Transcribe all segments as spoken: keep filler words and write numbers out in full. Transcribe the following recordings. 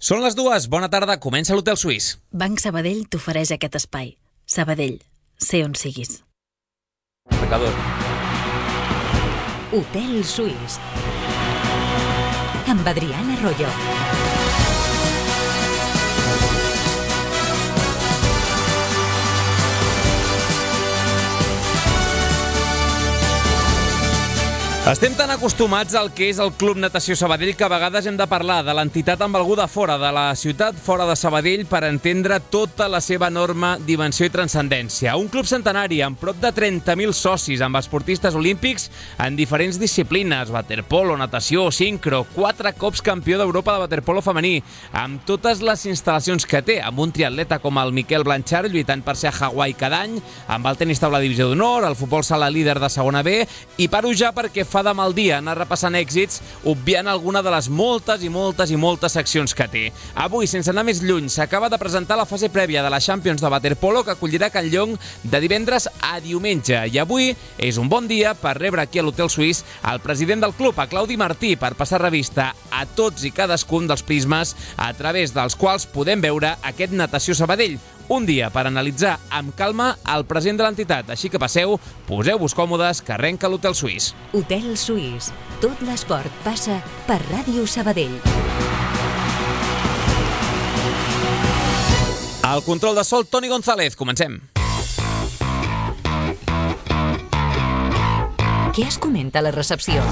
Són les dues, bona tarda, comença l'Hotel Suís. Banc Sabadell t'ofereix aquest espai. Sabadell, sé on siguis. Pecador. Hotel Suís amb Adriana Arroyo. Estem tan acostumats al que és el Club Natació Sabadell que a vegades hem de parlar de l'entitat amb algú de fora, de la ciutat fora de Sabadell, per entendre tota la seva enorme dimensió i transcendència. Un club centenari amb prop de trenta mil socis, amb esportistes olímpics en diferents disciplines, waterpolo, natació, sincro, quatre cops campió d'Europa de waterpolo femení, amb totes les instal·lacions que té, amb un triatleta com el Miquel Blanchard lluitant per ser a Hawaii cada any, amb el tenis taula divisió d'honor, el futbol sala líder de segona B, i paro ja perquè fa de mal dia anar repassant èxits, obviant alguna de les moltes i moltes i moltes seccions que té. Avui, sense anar més lluny, s'acaba de presentar la fase prèvia de la Champions de waterpolo que acollirà Can Llong de divendres a diumenge. I avui és un bon dia per rebre aquí a l'Hotel Suís el president del club, a Claudi Martí, per passar revista a tots i cadascun dels prismes a través dels quals podem veure aquest Natació Sabadell. Un dia per analitzar amb calma el present de l'entitat. Així que passeu, poseu-vos còmodes, que arrenca l'Hotel Suís. Hotel Suís. Tot l'esport passa per Ràdio Sabadell. Al control de sol, Toni González. Comencem. Què es comenta a la recepció?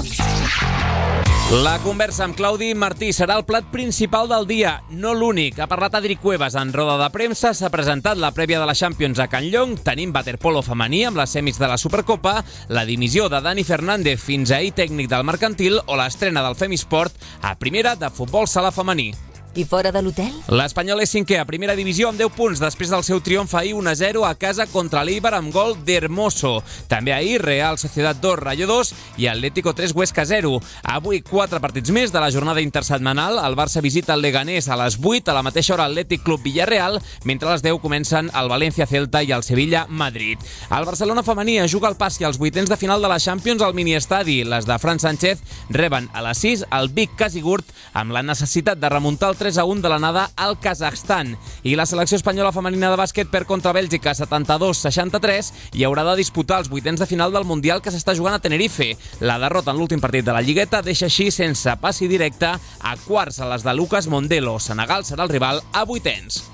La conversa amb Claudi Martí serà el plat principal del dia, no l'únic. Ha parlat Adri Cuevas en roda de premsa, s'ha presentat la prèvia de la Champions a Can Llong, tenim waterpolo femení amb les semis de la Supercopa, la dimissió de Dani Fernández fins ahir tècnic del Mercantil o l'estrena del Femisport a primera de futbol sala femení. I fora de l'hotel? L'Espanyol és cinquè a primera divisió amb deu punts després del seu triomf ahir un a zero a casa contra l'Eibar amb gol d'Hermoso. També ahir Real Sociedad dos, Rayo dos i Atlético tres, Huesca zero. Avui quatre partits més de la jornada intersetmanal. El Barça visita el Leganés a les vuit, a la mateixa hora Atlètic Club Villarreal, mentre a les deu comencen el València Celta i el Sevilla Madrid. El Barcelona femení juga al passi als vuitens de final de la Champions al miniestadi. Les de Fran Sánchez reben a les sis el Vic Casigurt amb la necessitat de remuntar el tres a un de l'anada al Kazakhstan. I la selecció espanyola femenina de bàsquet perd contra Bèlgica setanta-dos a seixanta-tres i haurà de disputar els vuitens de final del Mundial que s'està jugant a Tenerife. La derrota en l'últim partit de la Lligueta deixa així sense passi directe a quarts a les de Lucas Mondelo. Senegal serà el rival a vuitens.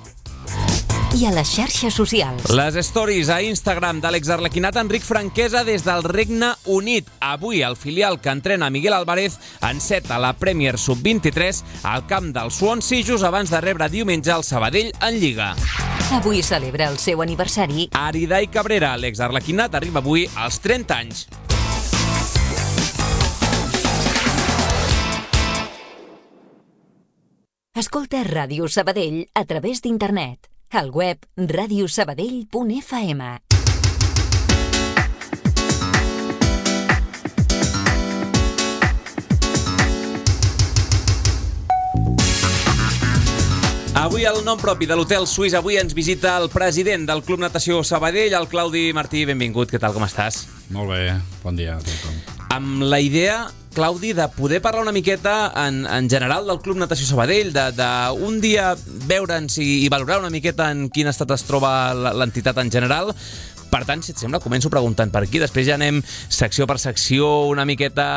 I a les xarxes socials. Les stories a Instagram de l'exarlequinat Enric Franquesa des del Regne Unit. Avui el filial que entrena Miguel Álvarez enceta la Premier sub vint-i-tres al camp del Swansea just abans de rebre diumenge el Sabadell en Lliga. Avui celebra el seu aniversari Aridai Cabrera, l'exarlequinat, arriba avui als trenta anys. Escolta Ràdio Sabadell a través d'internet. Al web radio sabadell punt f m. Avui el nom propi de l'Hotel Suís. Avui ens visita el president del Club Natació Sabadell, el Claudi Martí. Benvingut, què tal, com estàs? Molt bé, bon dia a tothom. Amb la idea, Claudi, de poder parlar una miqueta en, en general del Club Natació Sabadell, de, de un dia veure'ns i, i valorar una miqueta en quin estat es troba l'entitat en general. Per tant, si et sembla, començo preguntant per aquí. Després ja anem secció per secció, una miqueta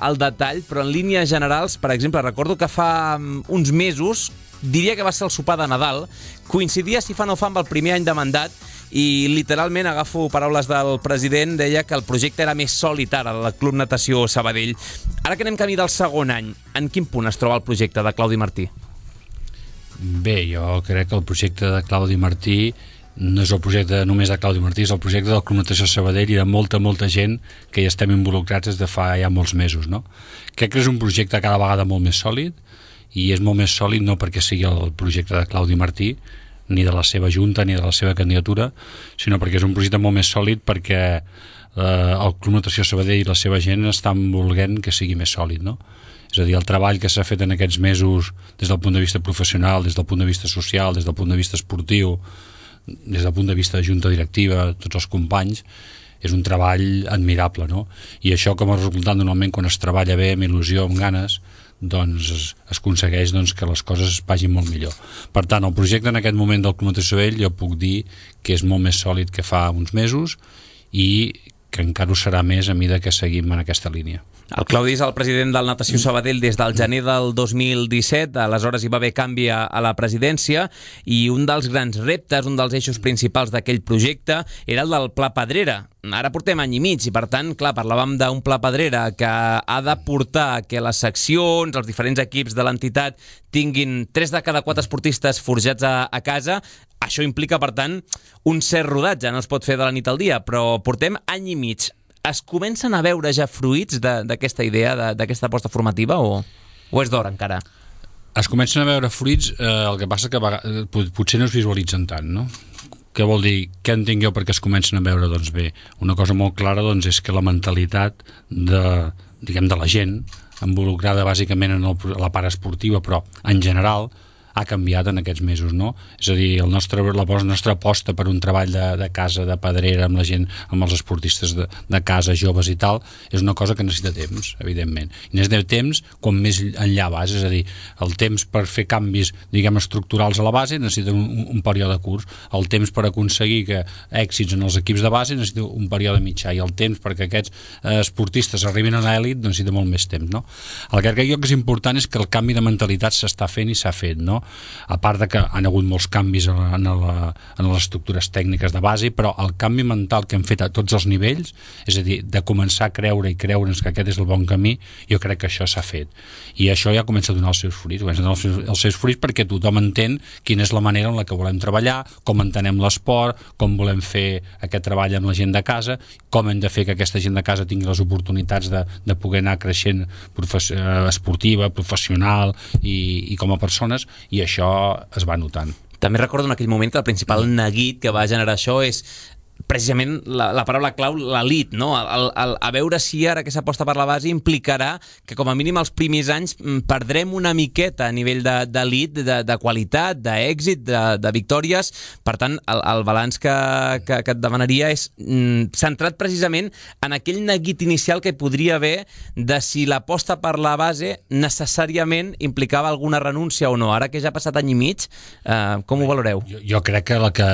al detall, però en línies generals, per exemple, recordo que fa uns mesos, diria que va ser el sopar de Nadal, coincidia, si fa no fa, amb el primer any de mandat, i literalment agafo paraules del president, deia que el projecte era més sòlid ara, el Club Natació Sabadell. Ara que anem camí del segon any, en quin punt es troba el projecte de Claudi Martí? Bé, jo crec que el projecte de Claudi Martí no és el projecte només de Claudi Martí, és el projecte del Club Natació Sabadell i de molta, molta gent que hi estem involucrats des de fa ja molts mesos, no? Crec que és un projecte cada vegada molt més sòlid, i és molt més sòlid no perquè sigui el projecte de Claudi Martí, ni de la seva junta, ni de la seva candidatura, sinó perquè és un projecte molt més sòlid perquè eh, el Club Natació Sabadell i la seva gent estan volent que sigui més sòlid, no? És a dir, el treball que s'ha fet en aquests mesos des del punt de vista professional, des del punt de vista social, des del punt de vista esportiu, des del punt de vista de junta directiva, tots els companys, és un treball admirable, no? I això com a resultat normalment quan es treballa bé, amb il·lusió, amb ganes, doncs es, es aconsegueix doncs, que les coses vagin molt millor. Per tant, el projecte en aquest moment del Club Natació Sabadell jo puc dir que és molt més sòlid que fa uns mesos i que encara ho serà més a mesura que seguim en aquesta línia. El Claudi és el president del Natació Sabadell des del gener del dos mil disset, aleshores hi va haver canvi a la presidència i un dels grans reptes, un dels eixos principals d'aquell projecte era el del Pla Pedrera. Ara portem any i mig i per tant, clar, parlàvem d'un Pla Pedrera que ha de portar que les seccions, els diferents equips de l'entitat tinguin tres de cada quatre esportistes forjats a, a casa. Això implica, per tant, un cert rodatge, no es pot fer de la nit al dia, però portem any i mig. Es comencen a veure ja fruits d'aquesta idea, d'aquesta aposta formativa, o, o és d'hora encara? Es comencen a veure fruits, eh, el que passa que potser no es visualitzen tant, no? Què vol dir? Què entenc jo perquè es comencen a veure? Doncs bé, una cosa molt clara doncs, és que la mentalitat de, diguem, de la gent, involucrada bàsicament en el, la part esportiva, però en general, ha canviat en aquests mesos, no? És a dir, el nostre, la nostra aposta per un treball de, de casa, de pedrera, amb la gent, amb els esportistes de, de casa, joves i tal, és una cosa que necessita temps, evidentment. I necessita temps quan més enllà vas, és a dir, el temps per fer canvis, diguem, estructurals a la base necessita un, un període curt, el temps per aconseguir que èxits en els equips de base necessita un període mitjà, i el temps perquè aquests eh, esportistes arribin a l'elit necessita molt més temps, no? El que crec jo que és important és que el canvi de mentalitat s'està fent i s'ha fet, no? A part de que han hagut molts canvis en, la, en les estructures tècniques de base, però el canvi mental que hem fet a tots els nivells, és a dir, de començar a creure i creure'ns que aquest és el bon camí, jo crec que això s'ha fet. I això ja comença a donar els seus fruits, comença a donar els seus, els seus fruits perquè tothom entén quina és la manera en la que volem treballar, com entenem l'esport, com volem fer aquest treball amb la gent de casa, com hem de fer que aquesta gent de casa tingui les oportunitats de, de poder anar creixent profes, esportiva, professional i, i com a persones, i això es va notant. També recordo en aquell moment que el principal neguit que va generar això és precisament la, la paraula clau, l'elit, no? El, el, a veure si ara aquesta aposta per la base implicarà que com a mínim els primers anys perdrem una miqueta a nivell d'elit, de, de, de qualitat, d'èxit, de, de victòries. Per tant, el, el balanç que, que, que et demanaria és mm, centrat precisament en aquell neguit inicial que podria haver de si l'aposta per la base necessàriament implicava alguna renúncia o no. Ara que ja ha passat any i mig, eh, com ho valoreu? Jo, jo crec que, la que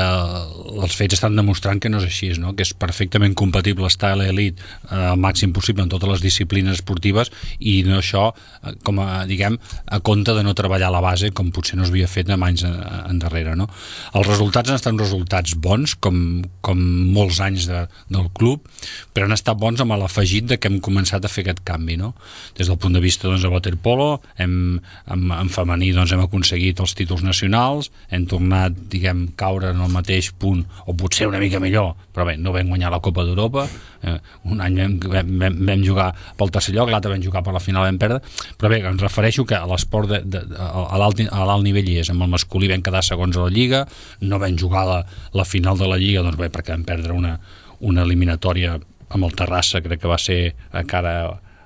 els fets estan demostrant que no és així, no? Que és perfectament compatible estar a l'elit eh, al màxim possible en totes les disciplines esportives i no això, eh, com a, diguem, a compte de no treballar a la base com potser no s'havia fet en anys endarrere, no? Els resultats han estat resultats bons, com, com molts anys de, del club, però han estat bons amb l'afegit de que hem començat a fer aquest canvi, no? Des del punt de vista doncs, de waterpolo, hem, en, en femení doncs, hem aconseguit els títols nacionals, hem tornat, diguem, caure en el mateix punt, o potser una mica millor, però bé, no vam guanyar la Copa d'Europa, eh, un any vam, vam, vam jugar pel tercer lloc, l'altre vam jugar per la final, vam perdre, però bé, em refereixo que a l'esport de, de, a l'alt nivell hi és, amb el masculí vam quedar segons a la Lliga, no vam jugar la, la final de la Lliga, doncs bé, perquè vam perdre una, una eliminatòria amb el Terrassa, crec que va ser a cara,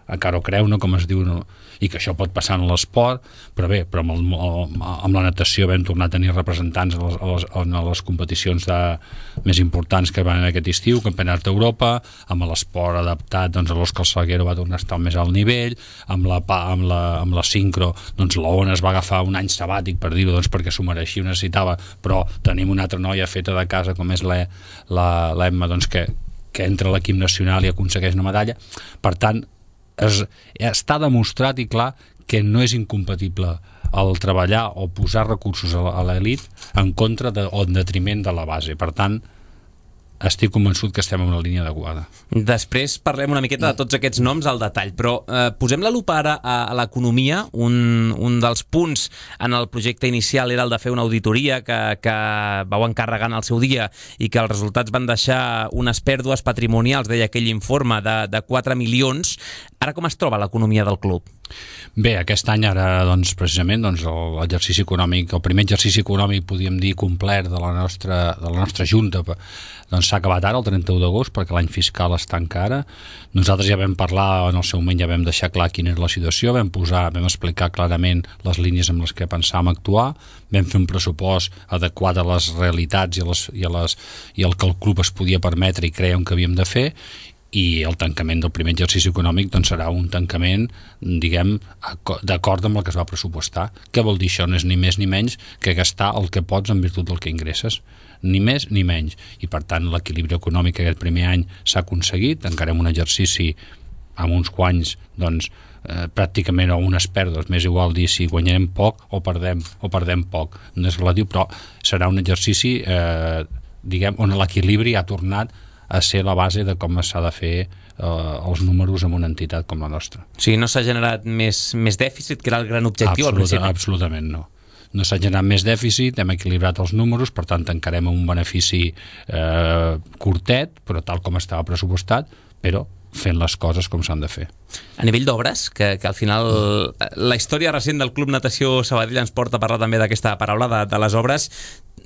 a cara o creu, no? Com es diu, no? I que això pot passar en l'esport, però bé, però amb, el, amb la natació vam tornar a tenir representants a les, a les, a les competicions de, més importants que van en aquest estiu, Campionat d'Europa, amb l'esport adaptat, doncs l'Òscar Salguero va tornar a estar més al nivell, amb la, amb la, amb la sincro, doncs l'Ona es va agafar un any sabàtic, per dir-ho, doncs perquè s'ho mereixia, ho necessitava, però tenim una altra noia feta de casa, com és l'Emma, doncs que, que entra a l'equip nacional i aconsegueix una medalla. Per tant, Es, està demostrat i clar que no és incompatible el treballar o posar recursos a l'elit en contra de, o en detriment de la base. Per tant, estic convençut que estem en una línia adequada. Després parlem una miqueta de tots aquests noms al detall, però eh, posem la lupa ara a, a l'economia. Un, un dels punts en el projecte inicial era el de fer una auditoria que, que vau encarregar en el seu dia i que els resultats van deixar unes pèrdues patrimonials, deia aquell informe, de, de quatre milions. Ara com es troba l'economia del club? Bé, aquest any ara, doncs, precisament, doncs, l'exercici econòmic, el primer exercici econòmic, podríem dir, complet de la nostra, de la nostra Junta, doncs s'ha acabat ara, el trenta-u d'agost, perquè l'any fiscal es tanca ara. Nosaltres ja vam parlar, en el seu moment ja vam deixar clar quina era la situació, vam posar, vam explicar clarament les línies amb les que pensàvem actuar, vam fer un pressupost adequat a les realitats i, a les, i, a les, i el que el club es podia permetre i creiem que havíem de fer, i el tancament del primer exercici econòmic doncs serà un tancament, diguem, d'acord amb el que es va pressupostar. Què vol dir això? No és ni més ni menys que gastar el que pots en virtut del que ingresses, ni més ni menys, i per tant l'equilibri econòmic aquest primer any s'ha aconseguit, encarem un exercici amb uns guanys doncs eh, pràcticament o unes pèrdues, més igual dir si guanyarem poc o perdem, o perdem poc, no és relatiu, però serà un exercici eh, diguem, on l'equilibri ha tornat a ser la base de com s'ha de fer eh, els números en una entitat com la nostra. O sigui, no s'ha generat més, més dèficit, que era el gran objectiu Absoluta, al principi? Absolutament no. No s'ha generat més dèficit, hem equilibrat els números, per tant tancarem un benefici eh, curtet, però tal com estava pressupostat, però fent les coses com s'han de fer. A nivell d'obres, que, que al final la història recent del Club Natació Sabadell ens porta a parlar també d'aquesta paraula, de, de les obres.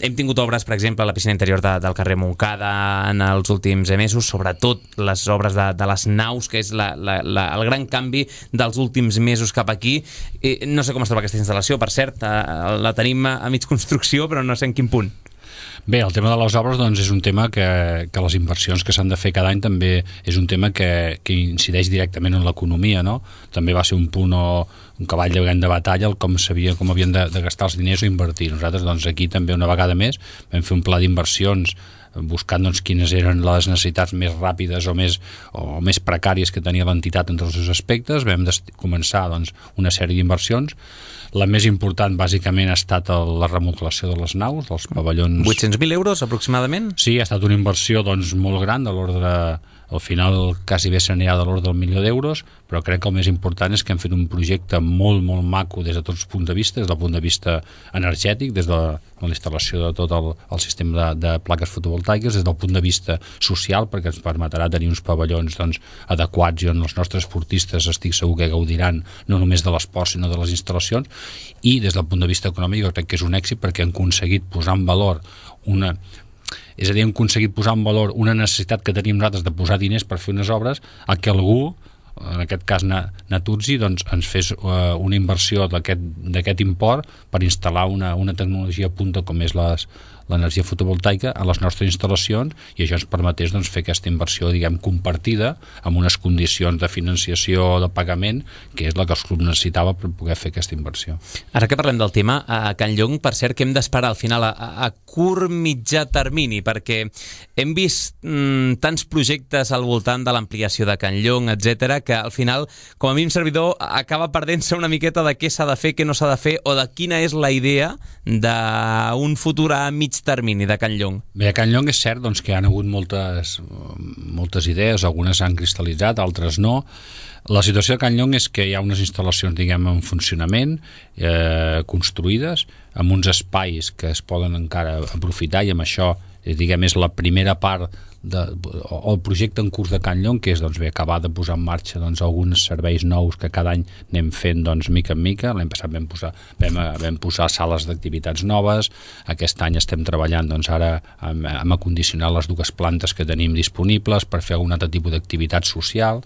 Hem tingut obres, per exemple, a la piscina interior de, del carrer Montcada en els últims mesos, sobretot les obres de, de les naus, que és la, la, la, el gran canvi dels últims mesos cap aquí. Eh, no sé com es troba aquesta instal·lació, per cert, eh, la tenim a, a mig construcció, però no sé en quin punt. Bé, el tema de les obres doncs, és un tema que, que les inversions que s'han de fer cada any també és un tema que, que incideix directament en l'economia, no? També va ser un punt o un cavall de, de batalla el com sabia com havien de, de gastar els diners o invertir. Nosaltres doncs, aquí també una vegada més vam fer un pla d'inversions buscant doncs, quines eren les necessitats més ràpides o més, o més precàries que tenia l'entitat en tots els aspectes. Vam començar doncs, una sèrie d'inversions. La més important, bàsicament, ha estat la remodelació de les naus, dels pavellons... vuit-cents mil euros, aproximadament? Sí, ha estat una inversió doncs, molt gran, de l'ordre... Al final quasi bé s'anirà de l'ordre del milió d'euros, però crec que el més important és que hem fet un projecte molt, molt maco des de tots els punts de vista, des del punt de vista energètic, des de la, de la instal·lació de tot el, el sistema de, de plaques fotovoltaiques, des del punt de vista social, perquè ens permetrà tenir uns pavellons doncs, adequats i on els nostres esportistes estic segur que gaudiran no només de l'esport sinó de les instal·lacions, i des del punt de vista econòmic jo crec que és un èxit perquè han aconseguit posar en valor una... És a dir, hem aconseguit posar en valor una necessitat que teníem nosaltres de posar diners per fer unes obres a que algú, en aquest cas Natuzzi, doncs ens fes uh, una inversió d'aquest import per instal·lar una, una tecnologia punta com és les, l'energia fotovoltaica a les nostres instal·lacions, i això ens permetés doncs, fer aquesta inversió diguem compartida amb unes condicions de financiació de pagament que és la que el club necessitava per poder fer aquesta inversió. Ara que parlem del tema, a Can Llong, per cert, que hem d'esperar al final a, a curt mitjà termini, perquè hem vist mm, tants projectes al voltant de l'ampliació de Can Llong, etcètera, que al final, com a mínim servidor, acaba perdent-se una miqueta de què s'ha de fer, què no s'ha de fer, o de quina és la idea d'un futur a mig termini de Can Llong. Bé, a Can Llong és cert doncs, que hi ha hagut moltes, moltes idees, algunes s'han cristal·litzat, altres no. La situació de Can Llong és que hi ha unes instal·lacions, diguem, en funcionament, eh, construïdes, amb uns espais que es poden encara aprofitar, i amb això, diguem, és la primera part de, o el projecte en curs de Can Llong, que és doncs, bé, acabar de posar en marxa doncs, alguns serveis nous que cada any anem fent doncs, mica en mica. L'any passat vam posar, vam, vam posar sales d'activitats noves, aquest any estem treballant doncs, ara amb, amb acondicionar les dues plantes que tenim disponibles per fer algun altre tipus d'activitat social,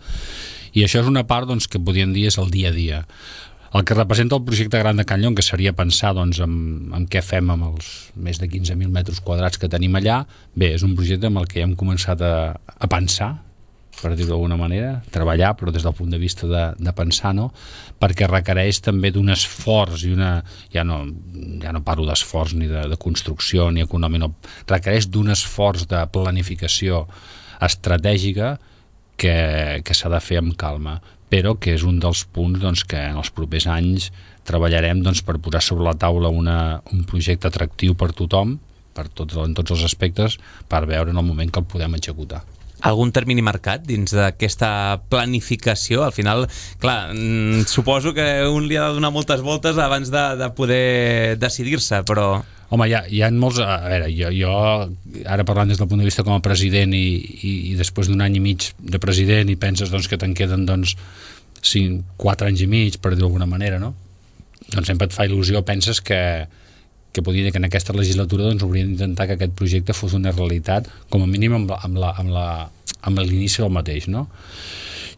i això és una part doncs, que podríem dir és el dia a dia. El que representa el projecte gran de Can Llong, que seria pensar doncs, en, en què fem amb els més de quinze mil metres quadrats que tenim allà, bé, és un projecte amb el que hem començat a, a pensar, per dir-ho d'alguna manera, treballar, però des del punt de vista de, de pensar, no? Perquè requereix també d'un esforç, i una, ja, no, ja no parlo d'esforç ni de, de construcció ni econòmic, no, requereix d'un esforç de planificació estratègica que, que s'ha de fer amb calma, però que és un dels punts doncs, que en els propers anys treballarem doncs, per posar sobre la taula una, un projecte atractiu per tothom, per tots, en tots els aspectes, per veure en el moment que el podem executar. Algun termini marcat dins d'aquesta planificació? Al final, clar, suposo que un li ha de donar moltes voltes abans de, de poder decidir-se, però... Home, hi ha, hi ha molts... A veure, jo, jo ara parlant des del punt de vista com a president i, i, i després d'un any i mig de president i penses doncs, que te'n queden doncs, cinc, quatre anys i mig, per dir-ho d'alguna manera, no? Doncs sempre et fa il·lusió, penses que, que podria dir que en aquesta legislatura doncs, hauríem d'intentar que aquest projecte fos una realitat, com a mínim amb, amb, la, amb, la, amb l'inici del mateix, no?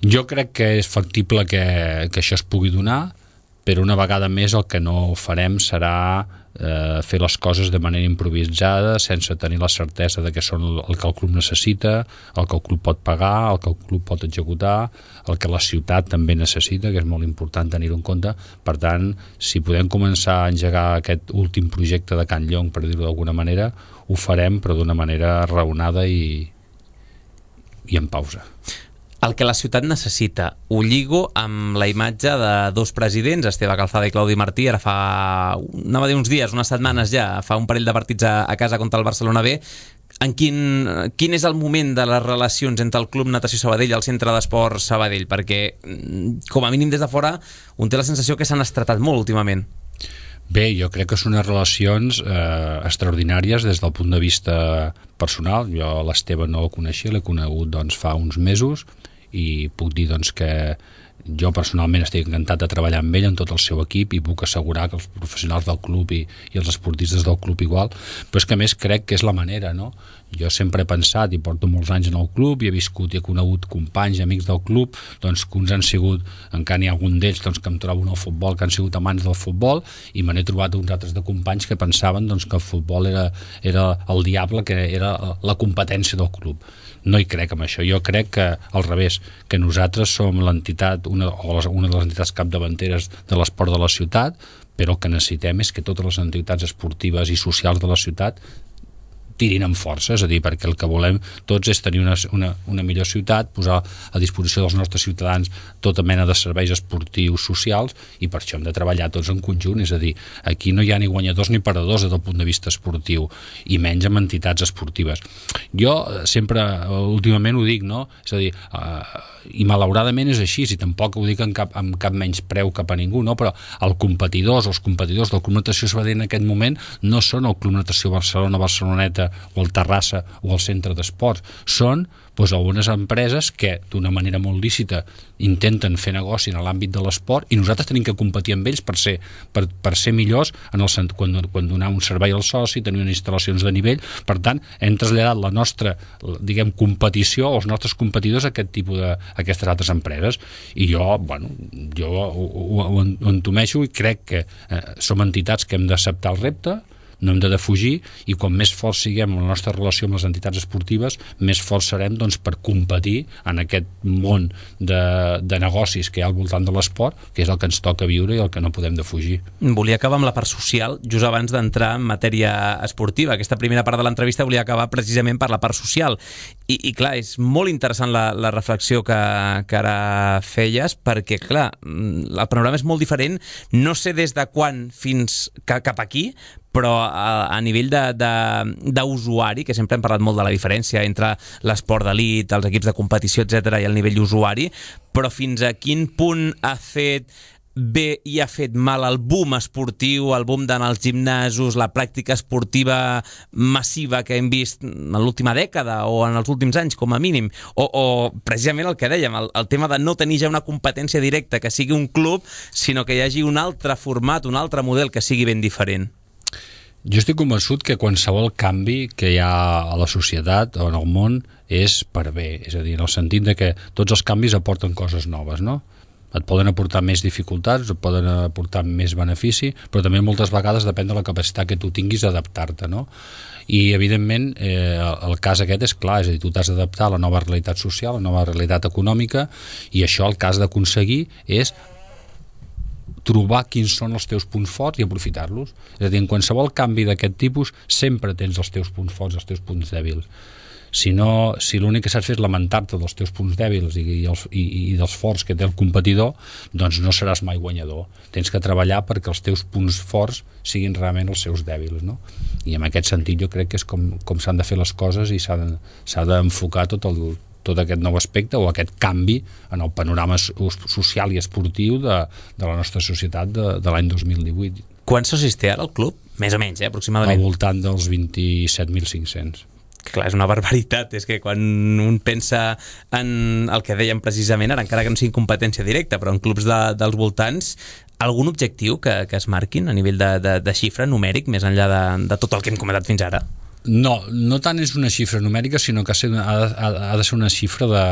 Jo crec que és factible que, que això es pugui donar, però una vegada més el que no farem serà eh, fer les coses de manera improvisada, sense tenir la certesa de que són el que el club necessita, el que el club pot pagar, el que el club pot executar, el que la ciutat també necessita, que és molt important tenir-ho en compte. Per tant, si podem començar a engegar aquest últim projecte de Can Llong, per dir-ho d'alguna manera, ho farem, però d'una manera raonada i, i en pausa. El que la ciutat necessita, ho lligo amb la imatge de dos presidents, Esteve Calzada i Claudi Martí, ara fa, anava a dir uns dies, unes setmanes ja, fa un parell de partits a, a casa contra el Barcelona B. En quin, quin és el moment de les relacions entre el Club Natació Sabadell i el Centre d'Esport Sabadell? Perquè, com a mínim des de fora, un té la sensació que s'han estretat molt últimament. Bé, jo crec que són unes relacions eh, extraordinàries des del punt de vista personal. Jo l'Esteve no el coneixia, l'he conegut doncs, fa uns mesos, i puc dir doncs, que jo personalment estic encantat de treballar amb ell, en tot el seu equip, i puc assegurar que els professionals del club i, i els esportistes del club igual, però és que a més crec que és la manera, no? Jo sempre he pensat, i porto molts anys en el club, i he viscut i he conegut companys, amics del club, doncs que uns han sigut, encara n'hi ha algun d'ells doncs, que em trobo en el futbol, que han sigut amants del futbol, i me n'he trobat uns altres de companys que pensaven doncs, que el futbol era, era el diable, que era la competència del club. No hi crec amb això, jo crec que al revés, que nosaltres som l'entitat, una, o les, una de les entitats capdavanteres de l'esport de la ciutat, però el que necessitem és que totes les entitats esportives i socials de la ciutat tirin amb força, és a dir, perquè el que volem tots és tenir una, una, una millor ciutat, posar a disposició dels nostres ciutadans tota mena de serveis esportius, socials, i per això hem de treballar tots en conjunt, és a dir, aquí no hi ha ni guanyadors ni perdedors des del punt de vista esportiu, i menys amb entitats esportives. Jo sempre, últimament ho dic, no? És a dir, eh, i malauradament és així, i tampoc ho dic amb cap, amb cap menys preu cap a ningú, no? Però els competidors, els competidors del Club Natació Sabadell en aquest moment no són el Club Natació Barcelona, Barceloneta, o el Terrassa o el Centre d'Esports, són doncs, algunes empreses que d'una manera molt lícita intenten fer negoci en l'àmbit de l'esport, i nosaltres tenim que competir amb ells per ser, per, per ser millors en el, quan, quan donar un servei al soci, tenir unes instal·lacions de nivell. Per tant, hem traslladat la nostra, diguem, competició als nostres competidors a aquest tipus de, a aquestes altres empreses, i jo, bueno, jo ho, ho, ho entomeixo i crec que eh, som entitats que hem d'acceptar el repte, no hem de defugir, i quan més forts siguem en la nostra relació amb les entitats esportives, més forts serem doncs, per competir en aquest món de, de negocis que hi ha al voltant de l'esport, que és el que ens toca viure i el que no podem defugir. Volia acabar amb la part social, just abans d'entrar en matèria esportiva. Aquesta primera part de l'entrevista volia acabar precisament per la part social. I, i clar, és molt interessant la, la reflexió que, que ara feies, perquè, clar, el panorama és molt diferent. No sé des de quan fins cap aquí, però a, a nivell d'usuari, que sempre hem parlat molt de la diferència entre l'esport d'elit, els equips de competició, etcètera, i el nivell usuari, però fins a quin punt ha fet bé i ha fet mal el boom esportiu, el boom d'anar als gimnasos, la pràctica esportiva massiva que hem vist en l'última dècada o en els últims anys, com a mínim, o, o precisament el que dèiem, el, el tema de no tenir ja una competència directa que sigui un club, sinó que hi hagi un altre format, un altre model que sigui ben diferent. Jo estic convençut que qualsevol canvi que hi ha a la societat o en el món és per bé, és a dir, en el sentit de que tots els canvis aporten coses noves, no? Et poden aportar més dificultats, et poden aportar més benefici, però també moltes vegades depèn de la capacitat que tu tinguis d'adaptar-te, no? I, evidentment, eh, el cas aquest és clar, és a dir, tu t'has d'adaptar a la nova realitat social, a la nova realitat econòmica, i això el que has d'aconseguir és trobar quins són els teus punts forts i aprofitar-los. És a dir, en qualsevol canvi d'aquest tipus sempre tens els teus punts forts i els teus punts dèbils. Si no, si l'únic que saps fer és lamentar-te dels teus punts dèbils i, i, els, i, i dels forts que té el competidor, doncs no seràs mai guanyador. Tens que treballar perquè els teus punts forts siguin realment els seus dèbils, no? I en aquest sentit jo crec que és com, com s'han de fer les coses i s'ha de, s'ha d'enfocar tot el tot aquest nou aspecte o aquest canvi en el panorama social i esportiu de, de la nostra societat de, de l'any dos mil divuit. Quants socis té ara el club? Més o menys, eh, aproximadament. Al voltant dels vint-i-set mil cinc-cents. Clar, és una barbaritat, és que quan un pensa en el que dèiem precisament ara, encara que no sigui competència directa, però en clubs de, dels voltants, algun objectiu que, que es marquin a nivell de, de, de xifra numèric, més enllà de, de tot el que hem comentat fins ara? No, no tant és una xifra numèrica, sinó que ha de, ha de ser una xifra de,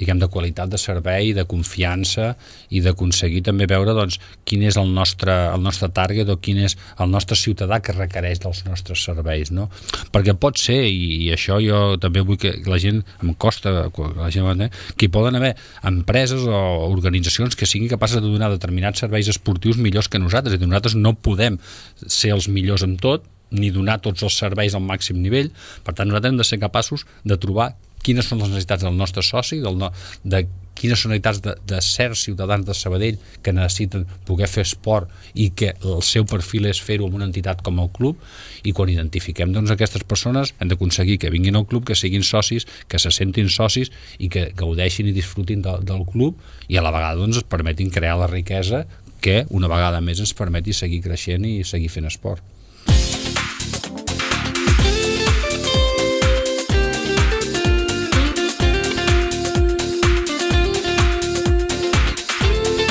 diguem, de qualitat de servei, de confiança i d'aconseguir també veure doncs, quin és el nostre, el nostre target o quin és el nostre ciutadà que requereix dels nostres serveis, no? Perquè pot ser, i, i això jo també vull que la gent, em costa la gent, que hi poden haver empreses o organitzacions que siguin capaces de donar determinats serveis esportius millors que nosaltres, i nosaltres no podem ser els millors en tot, ni donar tots els serveis al màxim nivell. Per tant, nosaltres hem de ser capaços de trobar quines són les necessitats del nostre soci, del no, de quines són les necessitats de, de certs ciutadans de Sabadell que necessiten poder fer esport i que el seu perfil és fer-ho amb una entitat com el club, i quan identifiquem doncs, aquestes persones hem d'aconseguir que vinguin al club, que siguin socis, que se sentin socis i que gaudeixin i disfrutin de, del club, i a la vegada doncs, es permetin crear la riquesa que una vegada més ens permeti seguir creixent i seguir fent esport.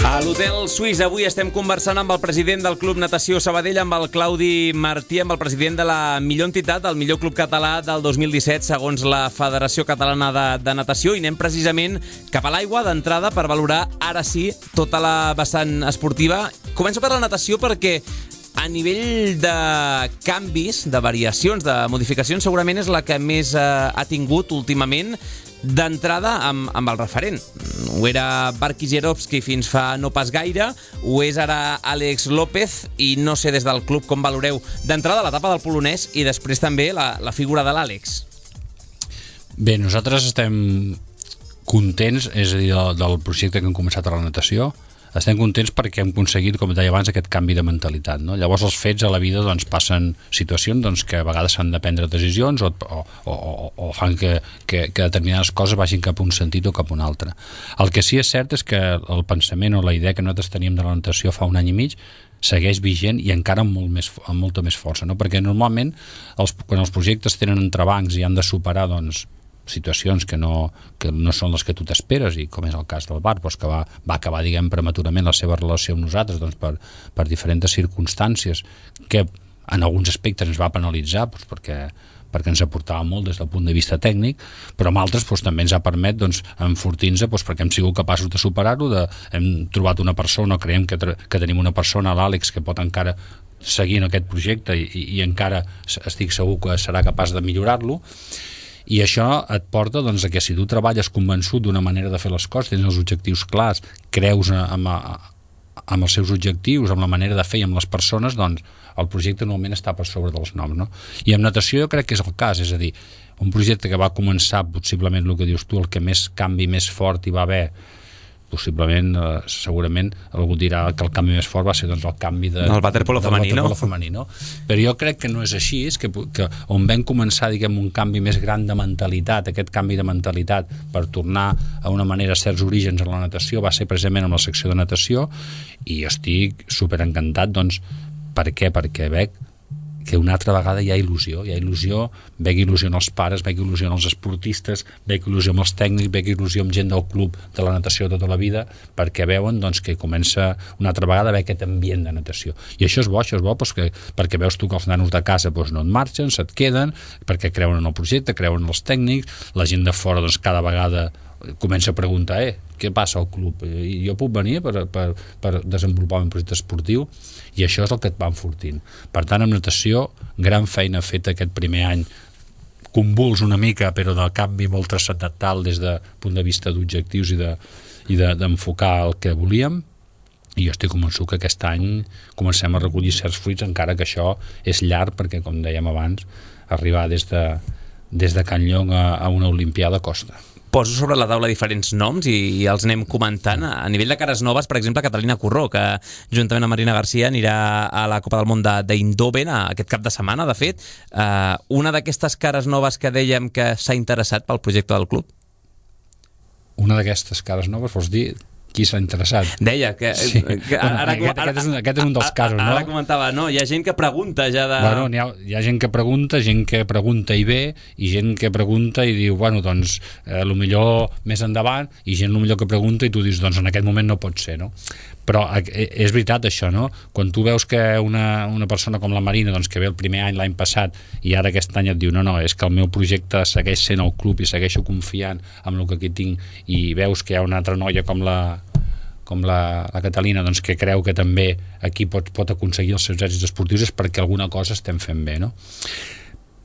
A l'Hotel Suís avui estem conversant amb el president del Club Natació Sabadell, amb el Claudi Martí, amb el president de la millor entitat, el millor club català del dos mil disset, segons la Federació Catalana de, de Natació, i anem precisament cap a l'aigua d'entrada per valorar ara sí tota la vessant esportiva. Començo per la natació perquè a nivell de canvis, de variacions, de modificacions, segurament és la que més eh, ha tingut últimament. D'entrada amb, amb el referent. Ho era Barkis fins fa no pas gaire, ho és ara Àlex López, i no sé des del club com valoreu d'entrada l'etapa del polonès i després també la, la figura de l'Àlex. Bé, nosaltres estem contents, és a dir, del, del projecte que hem començat a la natació. Estem contents perquè hem aconseguit, com deia abans, aquest canvi de mentalitat, no? Llavors els fets a la vida doncs, passen situacions doncs, que a vegades s'han de prendre decisions o, o, o, o fan que, que, que determinades coses vagin cap a un sentit o cap a un altre. El que sí és cert és que el pensament o la idea que nosaltres teníem de la natació fa un any i mig segueix vigent i encara amb, molt més, amb molta més força, no? Perquè normalment els, quan els projectes tenen entrebancs i han de superar doncs, situacions que no, que no són les que tu t'esperes, i com és el cas del Bar, doncs que va, va acabar, diguem, prematurament la seva relació amb nosaltres doncs per, per diferents circumstàncies que en alguns aspectes ens va penalitzar doncs perquè, perquè ens aportava molt des del punt de vista tècnic, però en altres doncs, també ens ha permet doncs, enfortir-nos doncs, perquè hem sigut capaços de superar-ho, de, hem trobat una persona, creiem que, que tenim una persona, l'Àlex, que pot encara seguir en aquest projecte i, i, i encara estic segur que serà capaç de millorar-lo. I això et porta doncs, a que si tu treballes convençut d'una manera de fer les coses, tens els objectius clars, creus amb, amb els seus objectius, amb la manera de fer i amb les persones, doncs el projecte normalment està per sobre dels noms, no? I amb natació jo crec que és el cas, és a dir, un projecte que va començar, possiblement el que dius tu, el que més canvi més fort hi va haver, possiblement, eh, segurament algú dirà que el canvi més fort va ser doncs, el canvi de, el waterpolo femení, no? femení, no? Però jo crec que no és així, és que, que on vam començar, diguem, un canvi més gran de mentalitat, aquest canvi de mentalitat per tornar a una manera a certs orígens en la natació va ser precisament amb la secció de natació, i estic superencantat, doncs, per què? Perquè veig que una altra vegada hi ha il·lusió, hi ha il·lusió, veig il·lusió en els pares, veig il·lusió en els esportistes, veig il·lusió amb els tècnics, veig il·lusió amb gent del club de la natació tota la vida, perquè veuen doncs, que comença una altra vegada a haver aquest ambient de natació. I això és bo, això és bo doncs, que, perquè veus tu que els nanos de casa doncs, no et marxen, se't queden, perquè creuen en el projecte, creuen en els tècnics, la gent de fora doncs, cada vegada comença a preguntar, eh, què passa al club? I jo puc venir per, per, per desenvolupar un projecte esportiu, i això és el que et va enfortint. Per tant, en natació, gran feina feta aquest primer any, convuls una mica, però del canvi molt transcendental des del punt de vista d'objectius i de, i de, d'enfocar el que volíem, i jo estic convençut que aquest any comencem a recollir certs fruits, encara que això és llarg, perquè, com dèiem abans, arribar des de, des de Can Llong a, a una Olimpiada costa. Poso sobre la taula diferents noms i, i els anem comentant. A nivell de cares noves, per exemple, Catalina Curró, que juntament amb Marina Garcia anirà a la Copa del Món d'Eindhoven aquest cap de setmana, de fet. Uh, una d'aquestes cares noves que dèiem que s'ha interessat pel projecte del club? Una d'aquestes cares noves, vols dir? qui s'ha interessat. Deia que... Sí. que bueno, ara, aquest, ara, aquest, és un, aquest és un dels casos, no? Ara comentava, no? Hi ha gent que pregunta ja de... Bueno, hi ha, hi ha gent que pregunta, gent que pregunta i ve, i gent que pregunta i diu, bueno, doncs, eh, lo millor més endavant, i gent lo millor que pregunta i tu dius, doncs en aquest moment no pot ser, no? Però és veritat això, no? Quan tu veus que una, una persona com la Marina, doncs, que ve el primer any l'any passat i ara aquest any et diu, no, no, és que el meu projecte segueix sent el club i segueixo confiant en el que aquí tinc, i veus que hi ha una altra noia com la com la, la Catalina, doncs, que creu que també aquí pot, pot aconseguir els seus èxits esportius, és perquè alguna cosa estem fent bé, no?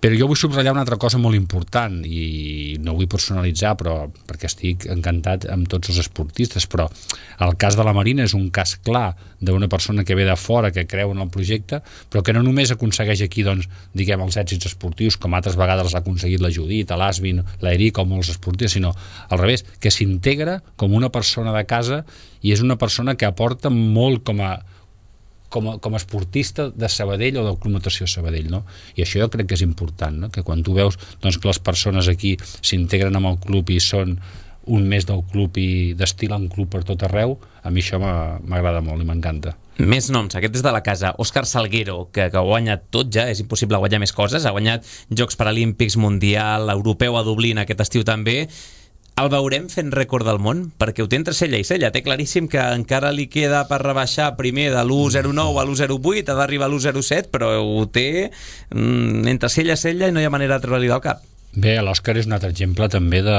Però jo vull subratllar una altra cosa molt important, i no vull personalitzar, però perquè estic encantat amb tots els esportistes, però el cas de la Marina és un cas clar d'una persona que ve de fora, que creu en el projecte, però que no només aconsegueix aquí, doncs, diguem, els èxits esportius, com altres vegades ha aconseguit la Judit, l'Asvin, l'Eric o molts esportistes, sinó al revés, que s'integra com una persona de casa i és una persona que aporta molt com a Com a, com a esportista de Sabadell o del Club Natació Sabadell, no? I això jo crec que és important, no? Que quan tu veus, doncs, que les persones aquí s'integren amb el club i són un mes del club i destilen club per tot arreu, a mi això m'agrada molt i m'encanta. Més noms, aquest és de la casa. Òscar Salguero, que, que ha guanyat tot ja, és impossible guanyar més coses, ha guanyat Jocs Paralímpics, Mundial, Europeu a Dublín aquest estiu també. El veurem fent rècord del món? Perquè ho té entre cella i cella. Té claríssim que encara li queda per rebaixar primer de l'u zero nou a l'u zero vuit, ha d'arribar a l'u zero set, però ho té mm, entre cella i cella i no hi ha manera de treure-li del cap. Bé, l'Òscar és un altre exemple també de,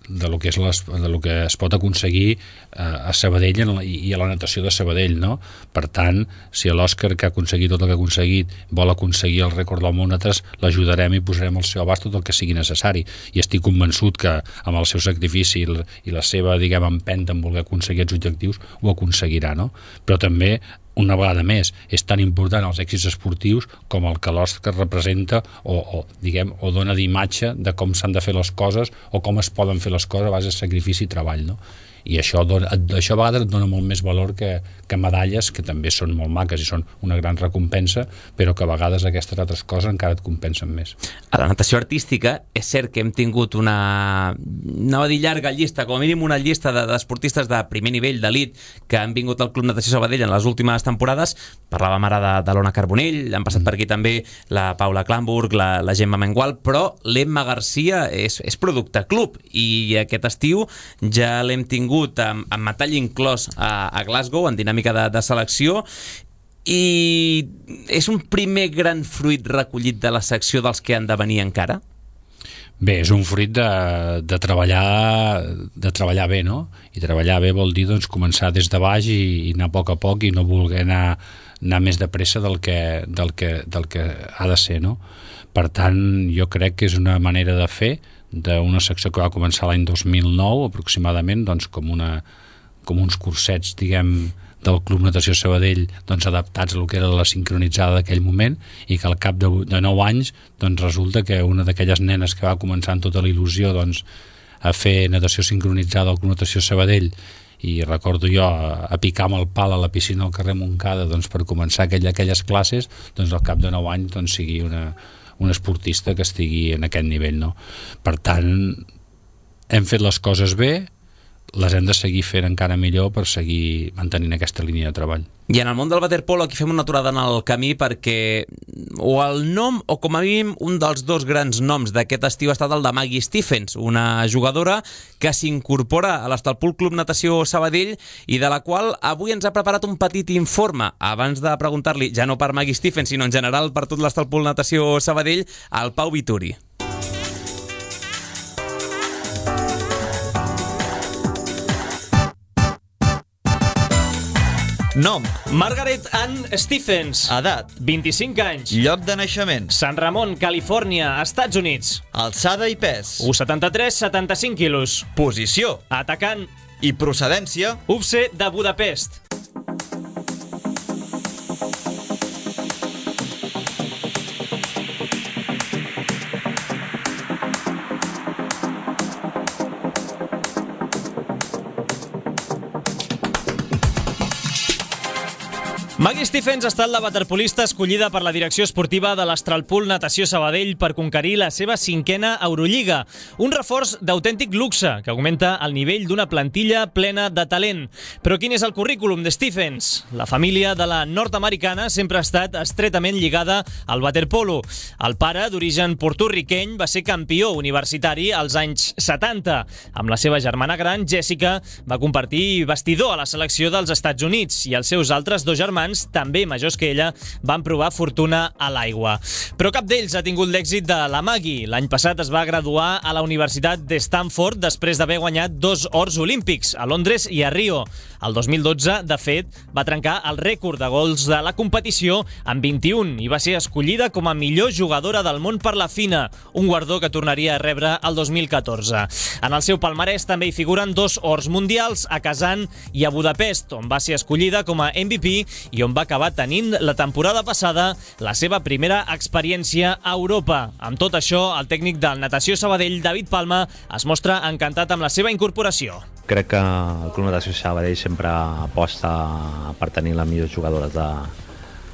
de, lo que és les, de lo que es pot aconseguir a Sabadell i a la natació de Sabadell, no? Per tant, si l'Òscar, que ha aconseguit tot el que ha aconseguit, vol aconseguir el rècord del món, nosaltres l'ajudarem i posarem al seu abast tot el que sigui necessari, i estic convençut que amb el seu sacrifici i la seva, diguem, empenta en voler aconseguir els objectius ho aconseguirà, no? Però també, una vegada més, és tan important els èxits esportius com el que l'Òscar representa o, o, diguem, o dona d'imatge de com s'han de fer les coses o com es poden fer les coses a base de sacrifici i treball, no? I això, dona, això a vegades et dona molt més valor que, que medalles, que també són molt maques i són una gran recompensa, però que a vegades aquestes altres coses encara et compensen més. A la natació artística és cert que hem tingut una, no va dir llarga llista, com a mínim una llista d'esportistes de primer nivell, d'elit, que han vingut al Club Natació Sabadell en les últimes temporades. Parlàvem ara de, de l'Ona Carbonell, han passat per aquí també la Paula Klamburg, la, la Gemma Mengual, però l'Emma Garcia és, és producte club, i aquest estiu ja l'hem tingut amb, amb metall inclòs a, a Glasgow en dinàmica de, de selecció, i és un primer gran fruit recollit de la secció dels que han de venir encara? Bé, és un fruit de, de treballar de treballar bé, no? I treballar bé vol dir, doncs, començar des de baix i, i anar a poc a poc i no voler anar, anar més de pressa del que, del, que, del que ha de ser, no? Per tant, jo crec que és una manera de fer d'una secció que va començar l'any dos mil nou aproximadament, doncs, com, una, com uns cursets, diguem, del Club Natació Sabadell, doncs, adaptats a lo que era la sincronitzada d'aquell moment, i que al cap de, de nou anys doncs, resulta que una d'aquelles nenes que va començar amb tota la il·lusió, doncs, a fer natació sincronitzada al Club Natació Sabadell, i recordo jo a, a picar amb el pal a la piscina al carrer Montcada, doncs, per començar aquell, aquelles classes, doncs al cap de nou anys doncs, sigui una, un esportista que estigui en aquest nivell, no? Per tant, hem fet les coses bé, les hem de seguir fent encara millor per seguir mantenint aquesta línia de treball. I en el món del waterpolo aquí fem una aturada en el camí, perquè o el nom, o com a mínim un dels dos grans noms d'aquest estiu ha estat el de Maggie Stephens, una jugadora que s'incorpora a l'Estalpul Club Natació Sabadell i de la qual avui ens ha preparat un petit informe. Abans de preguntar-li, ja no per Maggie Stephens, sinó en general per tot l'Estalpul Natació Sabadell, al Pau Vituri. Nom: Margaret Ann Stephens. edat: vint-i-cinc anys. lloc de naixement: San Ramon, Califòrnia, Estats Units. alçada i pes: u coma setanta-tres, setanta-cinc quilos. posició: Atacant. i procedència: U F C de Budapest. Maggie Stephens ha estat la waterpolista escollida per la direcció esportiva de l'Astralpool Natació Sabadell per conquerir la seva cinquena Eurolliga. Un reforç d'autèntic luxe que augmenta el nivell d'una plantilla plena de talent. Però quin és el currículum de Stephens? La família de la nord-americana sempre ha estat estretament lligada al waterpolo. El pare, d'origen porto-riqueny, va ser campió universitari als anys setanta. Amb la seva germana gran, Jessica, va compartir vestidor a la selecció dels Estats Units i els seus altres dos germans, també majors que ella, van provar fortuna a l'aigua. Però cap d'ells ha tingut l'èxit de la Maggie. L'any passat es va graduar a la Universitat de Stanford després d'haver guanyat dos ors olímpics, a Londres i a Rio. El dos mil dotze, de fet, va trencar el rècord de gols de la competició amb vint-i-un i va ser escollida com a millor jugadora del món per la FINA, un guardó que tornaria a rebre el dos mil catorze. En el seu palmarès també hi figuren dos ors mundials a Kazan i a Budapest, on va ser escollida com a M V P i on va acabar tenint la temporada passada la seva primera experiència a Europa. Amb tot això, el tècnic del Natació Sabadell, David Palma, es mostra encantat amb la seva incorporació. Crec que el Club Natació Sabadell sempre aposta per tenir les millors jugadores de,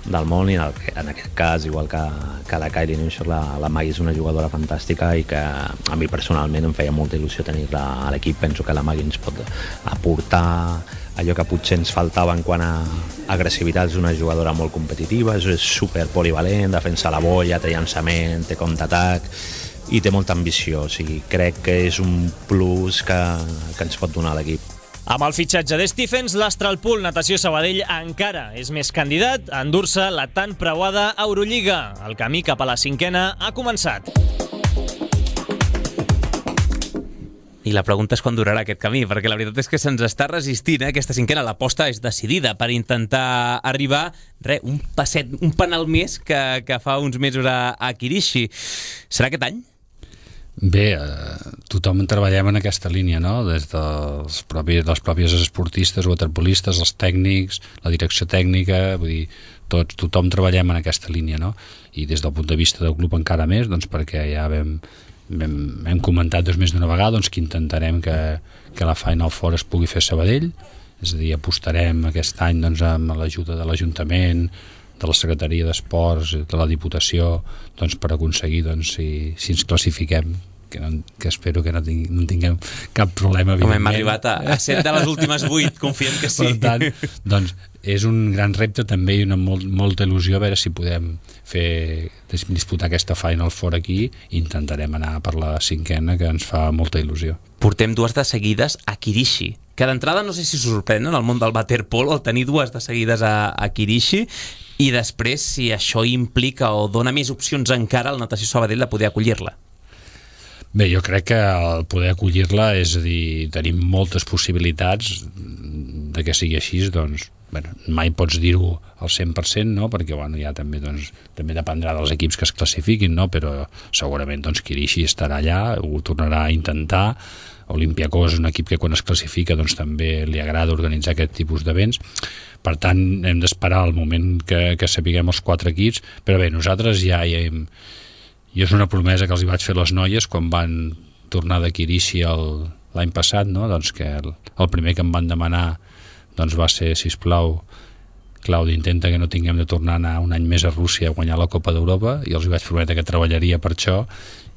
del món i en, el, en aquest cas, igual que, que la Kylie Neuscher, la, la Maggie és una jugadora fantàstica i que a mi personalment em feia molta il·lusió tenir-la a l'equip. Penso que la Maggie ens pot aportar allò que potser ens faltava en quant a agressivitat. És una jugadora molt competitiva, és super polivalent, defensa la bolla, té llançament, té contraatac i té molta ambició. O sigui, crec que és un plus que, que ens pot donar l'equip. Amb el fitxatge de Stephens, l'Astralpool Natació Sabadell encara és més candidat a endur-se la tan preuada Eurolliga. El camí cap a la cinquena ha començat. I la pregunta és quan durarà aquest camí, perquè la veritat és que se'ns està resistint, eh? Aquesta cinquena, l'aposta és decidida per intentar arribar, re, un passet, un penal més que, que fa uns mesos a, a Kirishi. Serà aquest any? Bé, eh, tothom treballem en aquesta línia, no? Des dels propis, dels propis esportistes, waterpolistes, els tècnics, la direcció tècnica, vull dir, tots, tothom treballem en aquesta línia, no? I des del punt de vista del club encara més, doncs perquè ja vam... Hem, hem comentat doncs, més d'una vegada doncs, que intentarem que, que la Final Four es pugui fer a Sabadell, és a dir, apostarem aquest any doncs, amb l'ajuda de l'Ajuntament, de la Secretaria d'Esports, de la Diputació, doncs, per aconseguir, doncs, si, si ens classifiquem, que, no, que espero que no, ting, no tinguem cap problema. Com hem arribat a, a set de les últimes vuit, confiem que sí. Per tant, doncs, és un gran repte també i una molt, molta il·lusió a veure si podem fer, disputar aquesta Final Four aquí i intentarem anar per la cinquena, que ens fa molta il·lusió. Portem dues de seguides a Kirishi, que d'entrada no sé si sorprèn en el món del waterpolo el tenir dues de seguides a, a Kirishi, i després si això implica o dona més opcions encara al Natació Sabadell de poder acollir-la. Bé, jo crec que el poder acollir-la, és a dir, tenim moltes possibilitats de que sigui així, doncs bueno, mai pots dir-ho al cent per cent, no? Perquè bueno, ja també, doncs, també dependrà dels equips que es classifiquin, no? Però segurament doncs, Kirishi estarà allà, ho tornarà a intentar. Olympiacos és un equip que quan es classifica doncs, també li agrada organitzar aquest tipus d'events. Per tant, hem d'esperar el moment que, que sapiguem els quatre equips, però bé, nosaltres ja hi hem... Jo és una promesa que els hi vaig fer les noies quan van tornar de Kirishi l'any passat, no? Doncs que el, el primer que em van demanar doncs va ser, sisplau, Claudi, intenta que no tinguem de tornar a anar un any més a Rússia a guanyar la Copa d'Europa, i els vaig prometre que treballaria per això,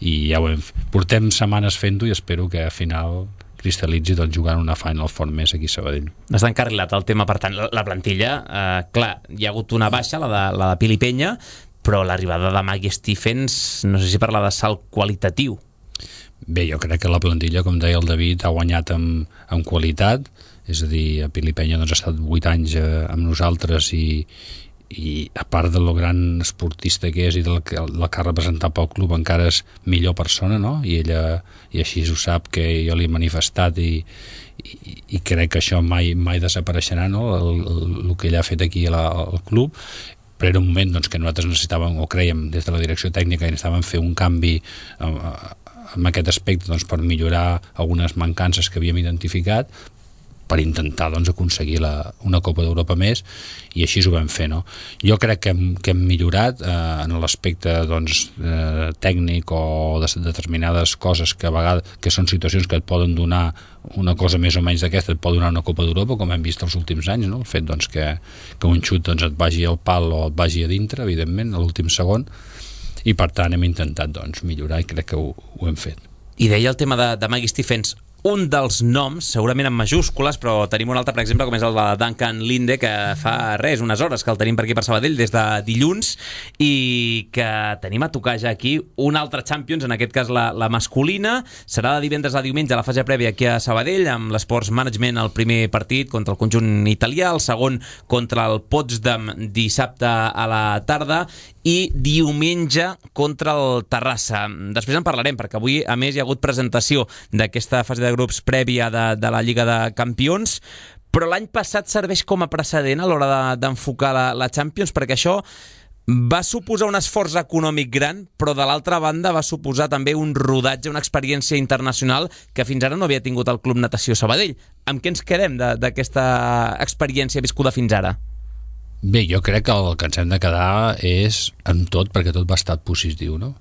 i ja ho hem fet. Portem setmanes fent-ho i espero que al final cristal·litzi doncs, jugant una Final Four més aquí a Sabadell. Està encarrilat el tema, per tant, la plantilla, eh, clar, hi ha hagut una baixa, la de, la de Pili Penya, però l'arribada de Maggie Stephens, no sé si parla de salt qualitatiu. Bé, jo crec que la plantilla, com deia el David, ha guanyat amb, amb qualitat, és a dir, a Pili Penya doncs, ha estat vuit anys eh, amb nosaltres i, i a part de lo gran esportista que és i del que, del que ha representat pel club, encara és millor persona, no? I ella, i així ho sap, que jo li he manifestat i, i, i crec que això mai, mai desapareixerà, no? El, el, el que ella ha fet aquí la, al club. Però era un moment doncs, que nosaltres necessitàvem, o creiem des de la direcció tècnica, que necessitàvem fer un canvi eh, en aquest aspecte doncs, per millorar algunes mancances que havíem identificat, per intentar doncs, aconseguir la, una Copa d'Europa més, i així ho vam fer, no? Jo crec que hem, que hem millorat eh, en l'aspecte doncs, eh, tècnic o de determinades coses que a vegades que són situacions que et poden donar una cosa més o menys d'aquesta, et pot donar una Copa d'Europa, com hem vist els últims anys, no? El fet doncs, que, que un xut doncs, et vagi al pal o et vagi a dintre, evidentment, a l'últim segon, i per tant hem intentat doncs, millorar, i crec que ho, ho hem fet. I deia el tema de, de Maggie Stephens, un dels noms, segurament en majúscules, però tenim un altre, per exemple, com és el de Duncan Linde, que fa res, unes hores que el tenim per aquí per Sabadell des de dilluns, i que tenim a tocar ja aquí un altre Champions, en aquest cas la, la masculina. Serà de divendres a diumenge a la fase prèvia aquí a Sabadell, amb l'Sports Management el primer partit contra el conjunt italià, el segon contra el Potsdam dissabte a la tarda, i diumenge contra el Terrassa. Després en parlarem, perquè avui, a més, hi ha hagut presentació d'aquesta fase de grups prèvia de, de la Lliga de Campions, però l'any passat serveix com a precedent a l'hora de, d'enfocar la, la Champions, perquè això va suposar un esforç econòmic gran, però de l'altra banda va suposar també un rodatge, una experiència internacional que fins ara no havia tingut el Club Natació Sabadell. Amb què ens quedem de, d'aquesta experiència viscuda fins ara? Bé, jo crec que el que ens hem de quedar és amb tot, perquè tot va estar positiu, no?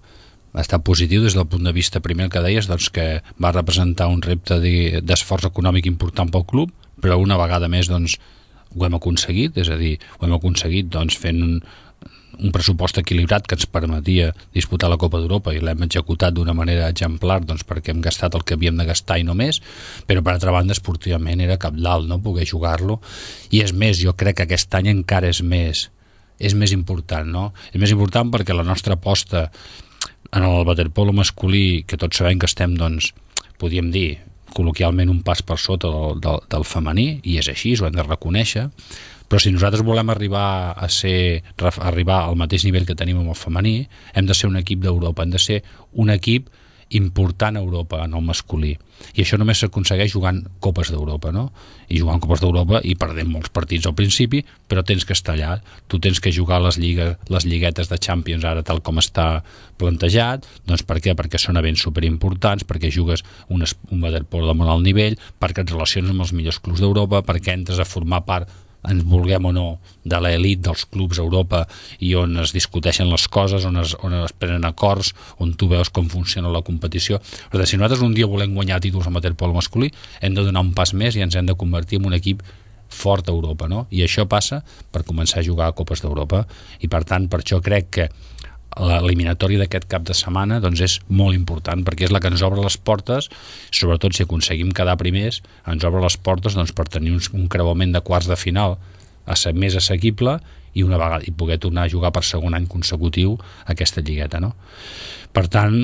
Va estar positiu des del punt de vista, primer que deies, doncs que va representar un repte d'esforç econòmic important pel club, però una vegada més doncs, ho hem aconseguit, és a dir, ho hem aconseguit doncs, fent un, un pressupost equilibrat que ens permetia disputar la Copa d'Europa, i l'hem executat d'una manera exemplar doncs, perquè hem gastat el que havíem de gastar i no més, però per altra banda esportivament era cabdal, no? Poder jugar-lo, i és més, jo crec que aquest any encara és més, és més important, no? És més important perquè la nostra aposta en el waterpolo masculí, que tots sabem que estem, doncs, podríem dir, col·loquialment un pas per sota del, del, del femení, i és així, ho hem de reconèixer, però si nosaltres volem arribar a ser arribar al mateix nivell que tenim amb el femení, hem de ser un equip d'Europa, hem de ser un equip important a Europa en el masculí, i això només s'aconsegueix jugant Copes d'Europa, no? I jugant Copes d'Europa i perdent molts partits al principi, però tens que estar allà, tu tens que jugar les, lligues, les lliguetes de Champions ara tal com està plantejat. Doncs per què? Perquè són events superimportants, perquè jugues un, un waterpolo de molt alt nivell, perquè et relaciones amb els millors clubs d'Europa, perquè entres a formar part, ens vulguem o no, de l'elit dels clubs a Europa, i on es discuteixen les coses, on es, on es prenen acords, on tu veus com funciona la competició. Però si nosaltres un dia volem guanyar títols en waterpolo masculí, hem de donar un pas més i ens hem de convertir en un equip fort a Europa, no? I això passa per començar a jugar a Copes d'Europa, i per tant, per això crec que l'eliminatòria d'aquest cap de setmana doncs és molt important, perquè és la que ens obre les portes, sobretot si aconseguim quedar primers, ens obre les portes doncs, per tenir un, un creuament de quarts de final a ser més assequible, i una vegada i poder tornar a jugar per segon any consecutiu aquesta lligueta, no? Per tant,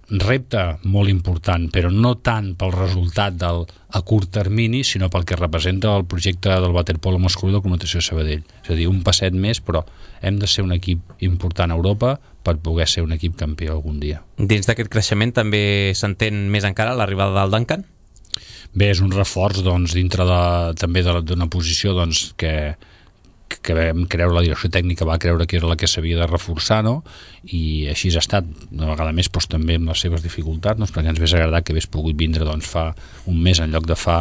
repte molt important, però no tant pel resultat del, a curt termini, sinó pel que representa el projecte del waterpolo masculí del Club Natació Sabadell. És a dir, un passet més, però hem de ser un equip important a Europa per poder ser un equip campió algun dia. Dins d'aquest creixement també s'entén més encara l'arribada del Duncan? Bé, és un reforç doncs, dintre de, també d'una posició doncs, que que vam creure, la direcció tècnica va creure que era la que s'havia de reforçar, no? I així ha estat, una vegada més, doncs, també amb les seves dificultats, doncs, perquè ens hagués agradat que hagués pogut vindre doncs, fa un mes en lloc de fa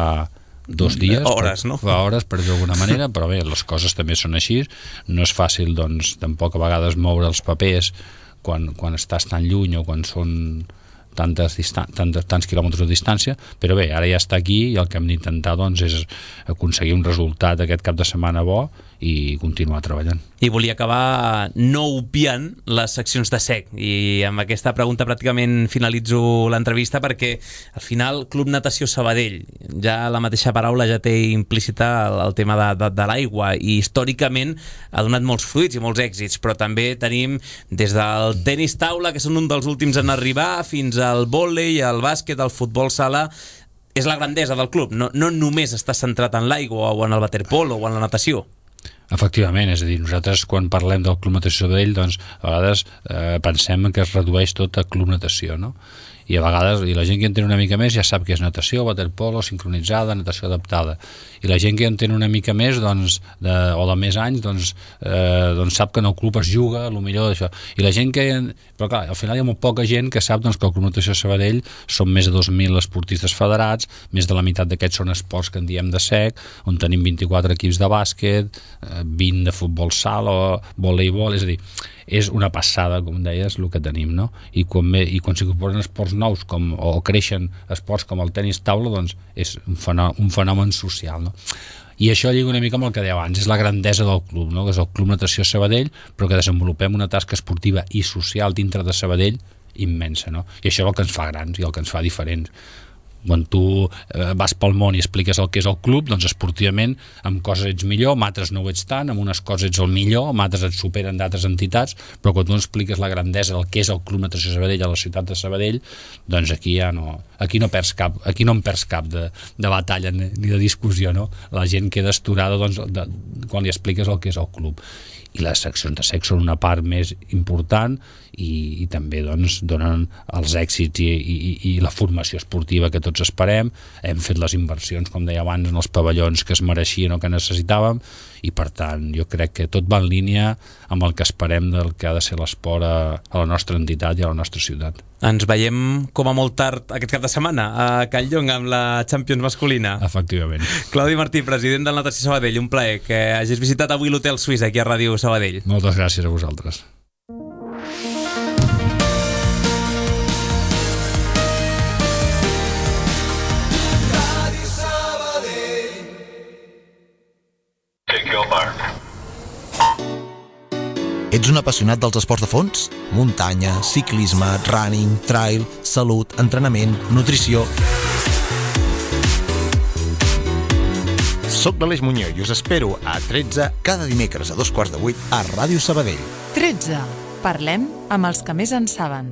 dos dies, hores, per, no? Fa hores, per dir d'alguna manera, però bé, les coses també són així, no és fàcil, doncs, tampoc a vegades moure els papers quan, quan estàs tan lluny o quan són tantes distan- tantes, tants quilòmetres de distància, però bé, ara ja està aquí, i el que hem d'intentar doncs, és aconseguir un resultat aquest cap de setmana bo i continuar treballant. I volia acabar no obviant les seccions de S E C, i amb aquesta pregunta pràcticament finalitzo l'entrevista, perquè al final Club Natació Sabadell, ja la mateixa paraula ja té implícita el, el tema de, de, de l'aigua, i històricament ha donat molts fruits i molts èxits, però també tenim des del tenis taula, que són un dels últims en arribar, fins al vòlei, al bàsquet, al futbol sala. És la grandesa del club, no, no només està centrat en l'aigua o en el waterpolo o en la natació. Efectivament, és a dir, nosaltres quan parlem del Club Natació Sabadell, doncs a vegades eh, pensem que es redueix tot a Club Natació, no? i a vegades i la gent que entén una mica més ja sap que és natació, waterpolo, sincronitzada, natació adaptada, i la gent que entén una mica més doncs, de, o de més anys doncs, eh, doncs sap que en el club es juga el millor d'això, i la gent que però clar, al final hi ha molt poca gent que sap doncs, que el Club Natació Sabadell són més de dos mil esportistes federats, més de la meitat d'aquests són esports que en diem de sec, on tenim vint-i-quatre equips de bàsquet, vint de futbol sala, voleibol, és a dir, és una passada, com deies, el que tenim, no? I quan, i quan s'incorporen esports nous com, o creixen esports com el tenis taula, doncs és un fenomen, un fenomen social, no? I això lliga una mica amb el que deia abans, és la grandesa del club, no? Que és el Club Natació Sabadell, però que desenvolupem una tasca esportiva i social dintre de Sabadell immensa, no? I això és el que ens fa grans i el que ens fa diferents. Quan tu eh, vas pel món i expliques el que és el club, doncs esportivament amb coses ets millor, amb altres no ho ets tant, amb unes coses ets el millor, amb altres et superen d'altres entitats, però quan tu expliques la grandesa del que és el Club Natació Sabadell a la ciutat de Sabadell, doncs aquí ja no, aquí no perds cap, aquí no en perds cap de, de batalla ni de discussió, no? La gent queda esturada doncs, de, quan li expliques el que és el club. I les seccions de sexe són una part més important i, i també doncs, donen els èxits i, i, i la formació esportiva que tots esperem. Hem fet les inversions, com deia abans, en els pavellons que es mereixien o que necessitàvem, i per tant jo crec que tot va en línia amb el que esperem del que ha de ser l'esport a, a la nostra entitat i a la nostra ciutat. Ens veiem com a molt tard aquest cap de setmana a Calllong amb la Champions masculina. Efectivament. Claudi Martí, president del Natació Sabadell, un plaer que hagis visitat avui l'Hotel Suís aquí a Ràdio Sabadell. Moltes gràcies a vosaltres. Ets un apassionat dels esports de fons? Muntanya, ciclisme, running, trail, salut, entrenament, nutrició... Soc l'Aleix Muñoz i us espero a tretze cada dimecres a dos quarts de vuit a Ràdio Sabadell. tretze. Parlem amb els que més en saben.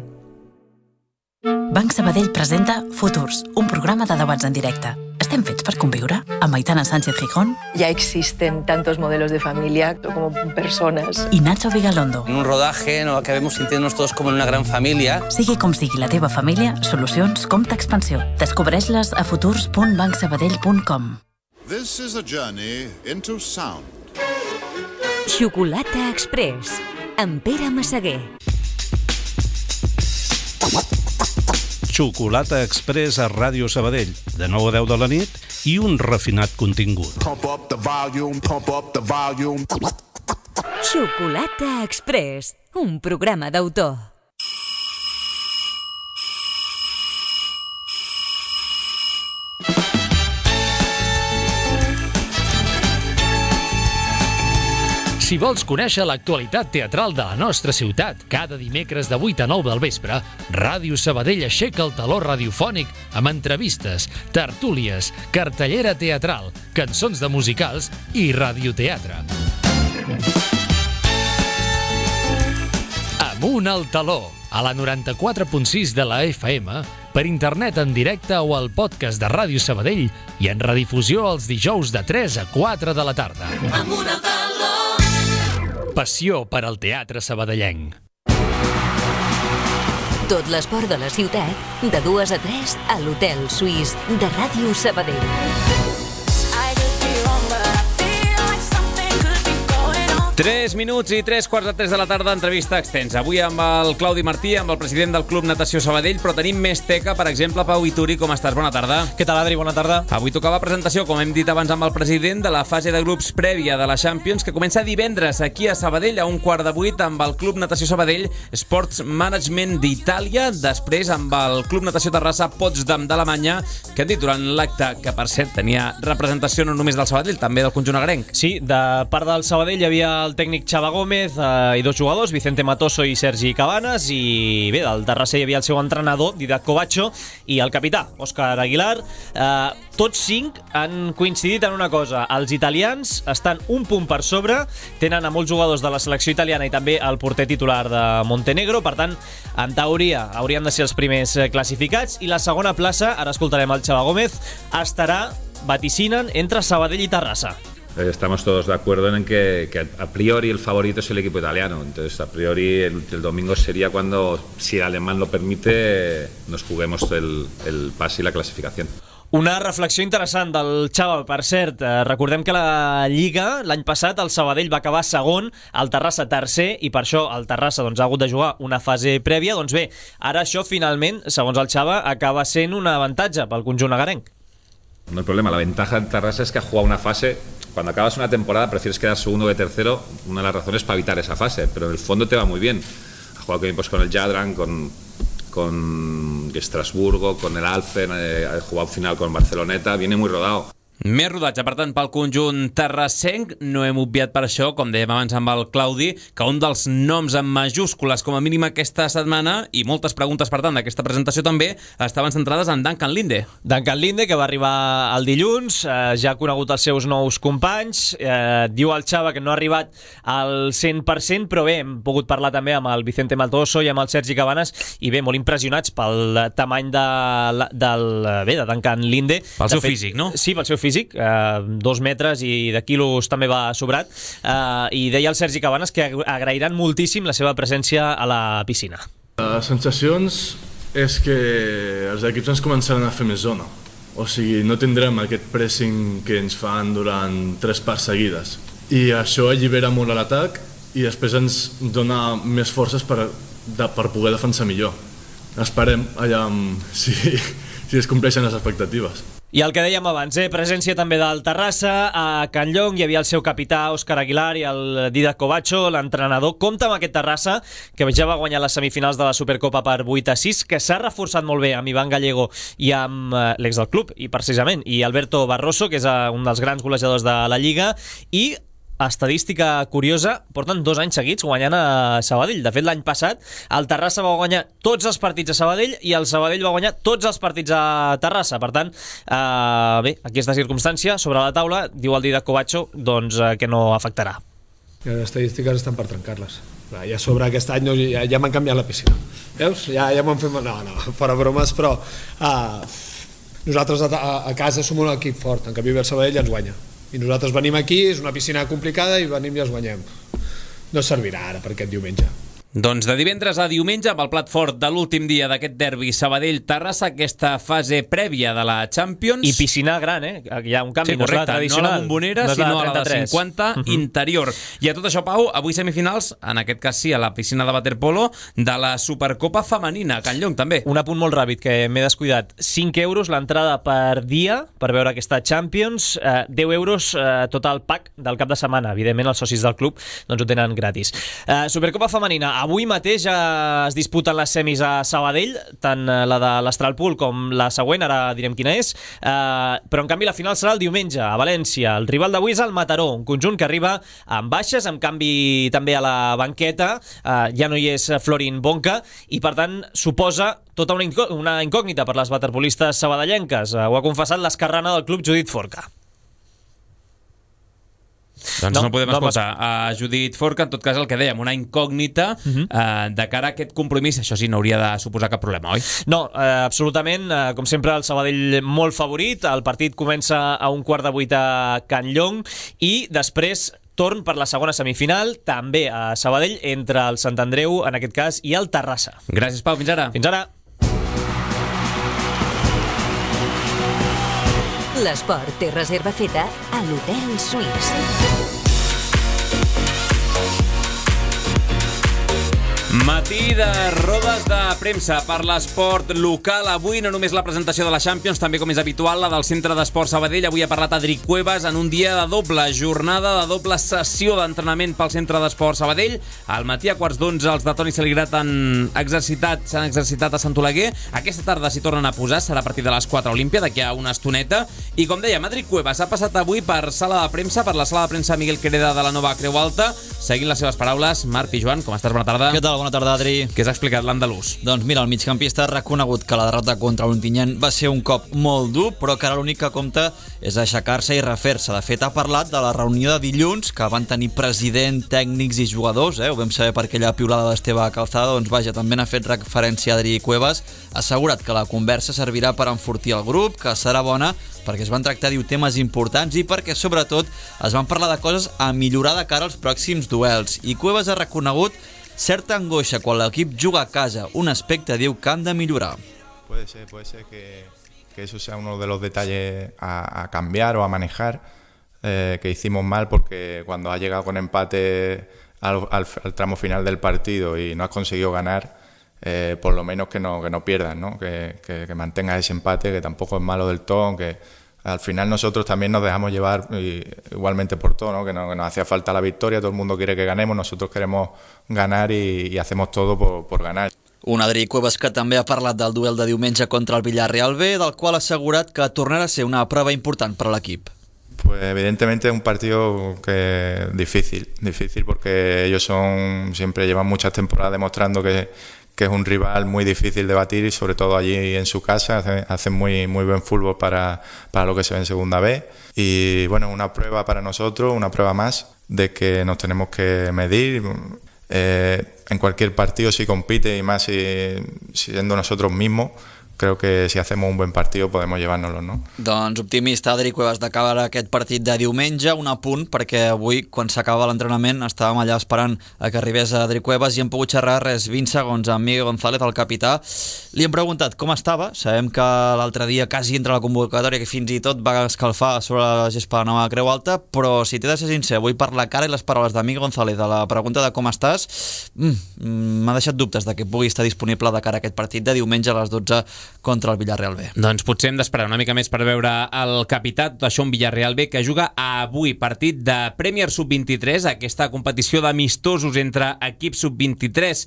Banc Sabadell presenta Futurs, un programa de debats en directe. ¿Estem fets per conviure? Amb Aitana Sánchez Gijón. Ya existen tantos modelos de familia como personas. Y Nacho Vigalondo. En un rodaje en el que acabemos sintiéndonos todos como en una gran família. Sigui com sigui la teva família, solucions Compte Expansió. Descobreix-les a futurs punt banc sabadell punt com. This is a journey into sound. Xocolata Express, amb Pere Massaguer. Xocolata Express a Ràdio Sabadell, de nou a deu de la nit, i un refinat contingut. Pump up the volume, pump up the volume. Xocolata Express, un programa d'autor. Si vols conèixer l'actualitat teatral de la nostra ciutat, cada dimecres de vuit a nou del vespre, Ràdio Sabadell aixeca el taló radiofònic amb entrevistes, tertúlies, cartellera teatral, cançons de musicals i radioteatre. Amunt al taló, a la noranta-quatre punt sis de la F M, per internet en directe o al podcast de Ràdio Sabadell i en redifusió els dijous de tres a quatre de la tarda. Amunt al taló. Passió per al teatre sabadellenc. Tot l'esport de la ciutat, de dues a tres, a l'Hotel Suís de Ràdio Sabadell. Tres minuts i tres quarts de tres de la tarda, entrevista extensa. Avui amb el Claudi Martí, amb el president del Club Natació Sabadell, però tenim més teca, per exemple, Pau Ituri, com estàs? Bona tarda. Què tal, Adri? Bona tarda. Avui tocava presentació, com hem dit abans amb el president, de la fase de grups prèvia de la Champions, que comença divendres aquí a Sabadell, a un quart de vuit, amb el Club Natació Sabadell Sports Management d'Itàlia, després amb el Club Natació Terrassa Potsdam d'Alemanya, que han dit durant l'acte, que per cert tenia representació no només del Sabadell, també del conjunt agrenc. Sí, de part del Sabadell hi havia el tècnic Xava Gómez eh, i dos jugadors, Vicente Matoso i Sergi Cabanes, i bé, del Terrassa hi havia el seu entrenador, Didac Covacho, i el capità, Òscar Aguilar. Eh, tots cinc han coincidit en una cosa: els italians estan un punt per sobre, tenen a molts jugadors de la selecció italiana i també el porter titular de Montenegro, per tant, en teoria haurien de ser els primers classificats, i la segona plaça, ara escoltarem el Xava Gómez, estarà, vaticinen, entre Sabadell i Terrassa. estamos todos de acuerdo en que, que a priori el favorito es el equipo italiano. Entonces, a priori el, el domingo sería cuando, si el alemán lo permite, nos juguemos el, el pase y la clasificación. Una reflexió interessant del Xava, per cert. Eh, recordem que la Lliga, l'any passat, el Sabadell va acabar segon, el Terrassa tercer, i per això el Terrassa doncs, ha hagut de jugar una fase prèvia. Doncs bé, ara això finalment, segons el Xava, acaba sent un avantatge pel conjunt agarenc. No hay problema, la ventaja del Terrassa es que ha jugado una fase. Cuando acabas una temporada prefieres quedar segundo que tercero, una de las razones para evitar esa fase, pero en el fondo te va muy bien. Ha jugado pues, con el Jadran, con... con Estrasburgo, con el Alfen, eh, ha jugado final con Barceloneta, viene muy rodado. Més rodatge, per tant, pel conjunt terrassenc. No hem obviat per això, com dèiem abans amb el Claudi, que un dels noms en majúscules, com a mínim aquesta setmana, i moltes preguntes, per tant, d'aquesta presentació també, estaven centrades en Duncan Linde. Duncan Linde, que va arribar el dilluns, eh, ja ha conegut els seus nous companys, eh, diu el Xava que no ha arribat al cent per cent, però bé, hem pogut parlar també amb el Vicente Matoso i amb el Sergi Cabanes, i bé, molt impressionats pel tamany de, del, bé, de Duncan Linde. Pel seu físic, no? Sí, pel seu físic. físic, eh, dos metres i de quilos també va sobrat, eh, i deia el Sergi Cabanes que agrairan moltíssim la seva presència a la piscina. Les sensacions és que els equips ens començaran a fer més zona, o sigui, no tindrem aquest pressing que ens fan durant tres parts seguides, i això allibera molt l'atac i després ens dona més forces per, de, per poder defensar millor. Esperem allà si, si es compleixen les expectatives. I el que dèiem abans, eh? presència també del Terrassa. A Can Llong hi havia el seu capità Òscar Aguilar i el Didac Covacho, l'entrenador. Compte amb aquest Terrassa, que ja va guanyar les semifinals de la Supercopa per vuit a sis, que s'ha reforçat molt bé amb Ivan Gallego i amb eh, l'ex del club, i precisament, i Alberto Barroso, que és eh, un dels grans golejadors de la Lliga, i estadística curiosa, porten dos anys seguits guanyant a Sabadell. De fet, l'any passat el Terrassa va guanyar tots els partits a Sabadell i el Sabadell va guanyar tots els partits a Terrassa. Per tant, eh, bé, aquesta circumstància sobre la taula, diu el Didac Covacho, doncs, eh, que no afectarà. Les estadístiques estan per trencar-les. Ja sobre aquest any no, ja, ja m'han canviat la piscina. Veus? Ja, ja m'han fet... No, no, fora bromes, però uh, nosaltres a, a, a casa som un equip fort, en canvi el Sabadell ens guanya. I nosaltres venim aquí, és una piscina complicada i venim i els guanyem. No servirà ara per aquest diumenge. Doncs de divendres a diumenge, amb el plat fort de l'últim dia d'aquest derbi Sabadell-Terrassa, aquesta fase prèvia de la Champions. I piscina gran, eh? Hi ha un canvi, sí, correcte, no és la tradicional. No la bombonera, no sinó la, la de cinquanta, uh -huh. interior. I a tot això, Pau, avui semifinals, en aquest cas sí, a la piscina de waterpolo, de la Supercopa femenina, a Can Llong també. Un apunt molt ràpid, que m'he descuidat. cinc euros l'entrada per dia, per veure aquesta Champions, eh, deu euros eh, tot el pack del cap de setmana. Evidentment, els socis del club doncs ho tenen gratis. Eh, Supercopa femenina, avui mateix ja es disputen les semis a Sabadell, tant la de l'Astralpool com la següent, ara direm quina és, eh, però en canvi la final serà el diumenge a València. El rival d'avui és el Mataró, un conjunt que arriba amb baixes, amb canvi també a la banqueta, eh, ja no hi és Florin Bonca, i per tant suposa tota una, incò una incògnita per les waterpolistes sabadellenques. Eh, ho ha confessat l'esquerrana del club, Judit Forca. Doncs no, no podem no, escoltar a Judit Forca, en tot cas el que dèiem, una incògnita uh -huh. eh, de cara a aquest compromís. Això sí, no hauria de suposar cap problema, oi? No, eh, absolutament, eh, com sempre el Sabadell molt favorit. El partit comença a un quart de vuit a Can Llong i després torn per la segona semifinal, també a Sabadell, entre el Sant Andreu, en aquest cas, i el Terrassa. Gràcies, Pau, fins ara. Fins ara. L'esport té reserva feta a l'Hotel Suís. Matí de rodes de premsa per l'esport local. Avui no només la presentació de la Champions, també com és habitual la del Centre d'Esport Sabadell. Avui ha parlat Adri Cuevas en un dia de doble jornada, de doble sessió d'entrenament pel Centre d'Esport Sabadell. Al matí a quarts d'onze els de Toni Saligrat han exercitat, s'han exercitat a Sant Oleguer. Aquesta tarda s'hi tornen a posar, serà a partir de les quatre a Olímpia, d'aquí a una estoneta. I com dèiem, Adri Cuevas ha passat avui per sala de premsa, per la sala de premsa Miguel Quereda de la Nova Creu Alta. Seguint les seves paraules, Marc Pijuan, com estàs? Bona tarda. Què tal? Bona bona tarda, Adri. Què s'ha explicat l'andalús? Doncs mira, el migcampista ha reconegut que la derrota contra l'Ontinyent va ser un cop molt dur, però que ara l'únic que compta és aixecar-se i refer-se. De fet, ha parlat de la reunió de dilluns que van tenir president, tècnics i jugadors, eh? Ho vam saber per aquella piulada d'Esteve Calzada, doncs vaja, també n'ha fet referència a Adri Cuevas, ha assegurat que la conversa servirà per enfortir el grup, que serà bona perquè es van tractar, diu, temes importants i perquè, sobretot, es van parlar de coses a millorar de cara als pròxims duels. I Cuevas ha reconegut certa angoixa quan l'equip juga a casa, un aspecte, diu, que han de millorar. Puede ser, puede ser que, que eso sea uno de los detalles a, a cambiar o a manejar, eh, que hicimos mal porque cuando has llegado con empate al, al, al tramo final del partido y no has conseguido ganar, eh, por lo menos que no, que no pierdas, ¿no? Que, que, que mantengas ese empate, que tampoco es malo del todo, aunque al final nosotros también nos dejamos llevar y, igualmente por todo, ¿no? Que, no, que nos hacía falta la victoria, todo el mundo quiere que ganemos, nosotros queremos ganar y, y hacemos todo por, por ganar. Un Adri Cuevas que també ha parlat del duel de diumenge contra el Villarreal B, del qual ha assegurat que tornarà a ser una prova important per a l'equip. Pues evidentemente es un partido que difícil, difícil porque ellos son siempre llevan muchas temporadas demostrando que, que es un rival muy difícil de batir y sobre todo allí en su casa hacen, hacen muy, muy buen fútbol para, para lo que se ve en Segunda B y bueno, una prueba para nosotros, una prueba más de que nos tenemos que medir. Eh, en cualquier partido si compite y más si, siendo nosotros mismos, creo que si hacemos un buen partido podemos llevárnoslo, no? Doncs optimista Adri Cuevas d'acabar aquest partit de diumenge, un apunt perquè avui quan s'acaba l'entrenament estàvem allà esperant a que arribés Adri Cuevas i hem pogut xerrar res vint segons amb Miguel González, el capità. Li hem preguntat com estava, sabem que l'altre dia quasi entra la convocatòria que fins i tot va escalfar sobre la gespa de la nova Creu Alta, però si t'he de ser sincer, avui per la cara i les paraules de Miguel González a la pregunta de com estàs, m'ha deixat dubtes de que pugui estar disponible de cara a aquest partit de diumenge a les dotze contra el Villarreal B. Doncs potser hem d'esperar una mica més per veure el capità, tot això un Villarreal B que juga avui partit de Premier sub vint-i-tres, aquesta competició d'amistosos entre equips sub vint-i-tres,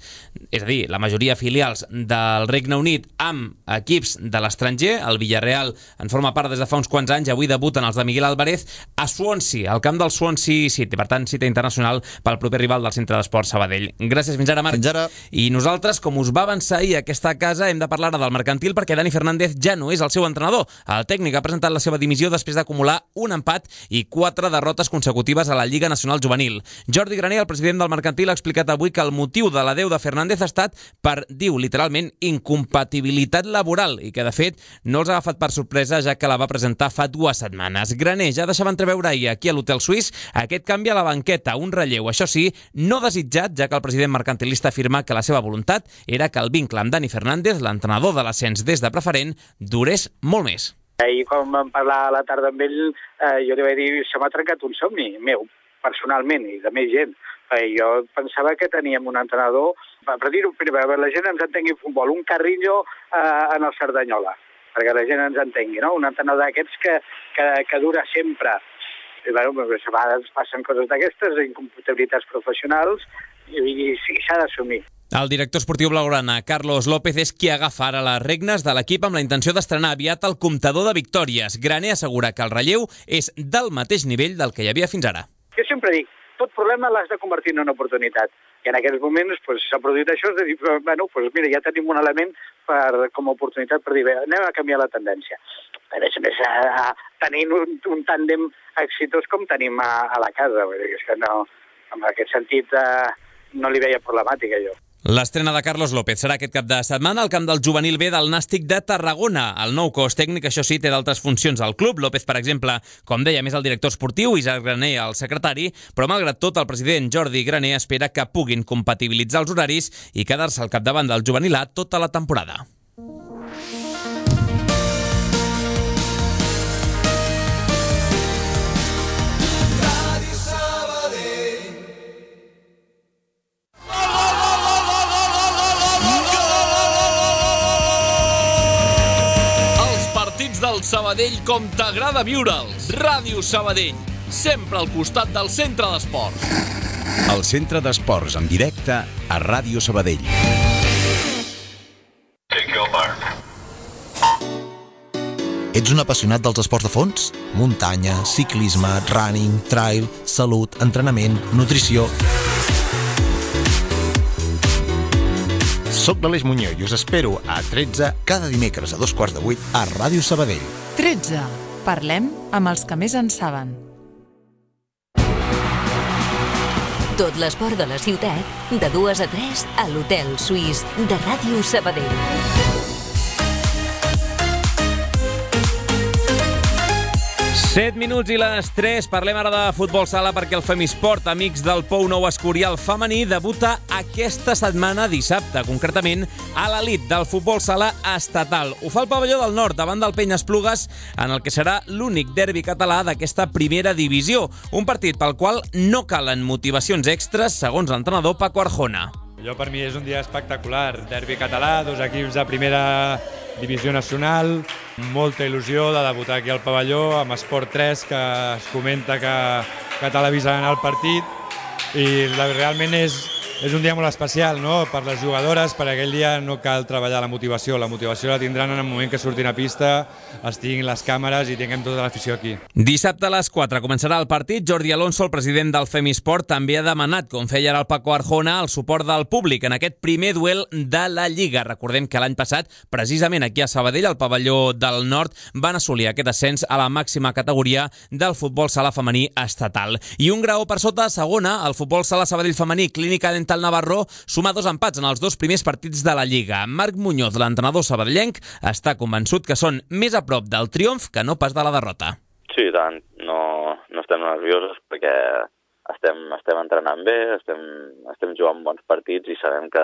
és a dir, la majoria filials del Regne Unit amb equips de l'estranger. El Villarreal en forma part des de fa uns quants anys, avui debuten els de Miguel Álvarez a Swansea, al camp del Swansea City, per tant cita internacional pel proper rival del Centre d'Esports Sabadell. Gràcies, fins ara, Marc. Fins ara. I nosaltres, com us va avançar ahir aquesta casa, hem de parlar del mercantil perquè Dani Fernández ja no és el seu entrenador. El tècnic ha presentat la seva dimissió després d'acumular un empat i quatre derrotes consecutives a la Lliga Nacional Juvenil. Jordi Graner, el president del mercantil, ha explicat avui que el motiu de l'adeu de Fernández ha estat per, diu literalment, incompatibilitat laboral i que, de fet, no els ha agafat per sorpresa ja que la va presentar fa dues setmanes. Graner ja deixava entreveure ahir aquí a l'Hotel Suís aquest canvi a la banqueta, un relleu, això sí, no desitjat, ja que el president mercantilista afirma que la seva voluntat era que el vincle amb Dani Fernández, l'entrenador de l'ascens des de preferent, durés molt més. Ahir quan vam parlar a la tarda amb ell, eh, jo li vaig dir, se m'ha trencat un somni meu, personalment, i de més gent. Eh, jo pensava que teníem un entrenador, per dir-ho primer, la gent ens entengui futbol, un Carrillo eh, en el Cerdanyola, perquè la gent ens entengui, no? Un entrenador d'aquests que, que, que dura sempre. I, bueno, a vegades passen coses d'aquestes, incompatibilitats professionals, i, i sí, s'ha d'assumir. El director esportiu blaugrana, Carlos López, és qui agafa ara les regnes de l'equip amb la intenció d'estrenar aviat el comptador de victòries. Graner assegura que el relleu és del mateix nivell del que hi havia fins ara. Jo sempre dic, tot problema l'has de convertir en una oportunitat. I en aquests moments pues, s'ha produït això, de dir, bueno, pues, mira, ja tenim un element per, com a oportunitat per dir, bé, anem a canviar la tendència. A més a més, tenint un, un tàndem exitós com tenim a, a la casa. Vull dir, és que no, en aquest sentit eh, no li veia problemàtica jo. L'estrena de Carlos López serà aquest cap de setmana al camp del juvenil B del Nàstic de Tarragona. El nou cos tècnic, això sí, té d'altres funcions al club. López, per exemple, com deia, més el director esportiu, Isaac Graner, el secretari, però malgrat tot, el president Jordi Graner espera que puguin compatibilitzar els horaris i quedar-se al capdavant del juvenil A tota la temporada. Del Sabadell com t'agrada viure'ls. Ràdio Sabadell, sempre al costat del centre d'esports. El centre d'esports en directe a Ràdio Sabadell. Ets un apassionat dels esports de fons? Muntanya, ciclisme, running, trail, salut, entrenament, nutrició... Soc l'Aleix Muñoz i us espero a tretze cada dimecres a dos quarts de vuit a Ràdio Sabadell. tretze. Parlem amb els que més en saben. Tot l'esport de la ciutat, de dues a tres, a l'Hotel Suís de Ràdio Sabadell. set minuts i les tres. Parlem ara de futbol sala perquè el Femisport, amics del Pou Nou Escorial femení, debuta aquesta setmana dissabte, concretament a l'elit del futbol sala estatal. Ho fa el pavelló del Nord, davant del Penyesplugues, en el que serà l'únic derbi català d'aquesta primera divisió. Un partit pel qual no calen motivacions extres, segons l'entrenador Paco Arjona. Allò per mi és un dia espectacular. Derbi català, dos equips de primera divisió nacional, molta il·lusió de debutar aquí al pavelló amb Esport tres, que es comenta que, que televisaran el partit, i realment és, és un dia molt especial, no? Per les jugadores, per aquell dia no cal treballar la motivació, la motivació la tindran en el moment que surtin a pista, estiguin les càmeres i tinguem tota l'afició aquí. Dissabte a les quatre començarà el partit. Jordi Alonso, el president del Femisport, també ha demanat, com feia ara el Paco Arjona, el suport del públic en aquest primer duel de la Lliga. Recordem que l'any passat, precisament aquí a Sabadell, al pavelló del Nord, van assolir aquest ascens a la màxima categoria del futbol sala femení estatal. I un graó per sota, segona, el futbol sala Sabadell femení, Clínica Dental Navarro, suma dos empats en els dos primers partits de la Lliga. Marc Muñoz, l'entrenador sabadellenc, està convençut que són més a prop del triomf que no pas de la derrota. Sí, tant. No, no estem nerviosos perquè estem, estem entrenant bé, estem, estem jugant bons partits i sabem que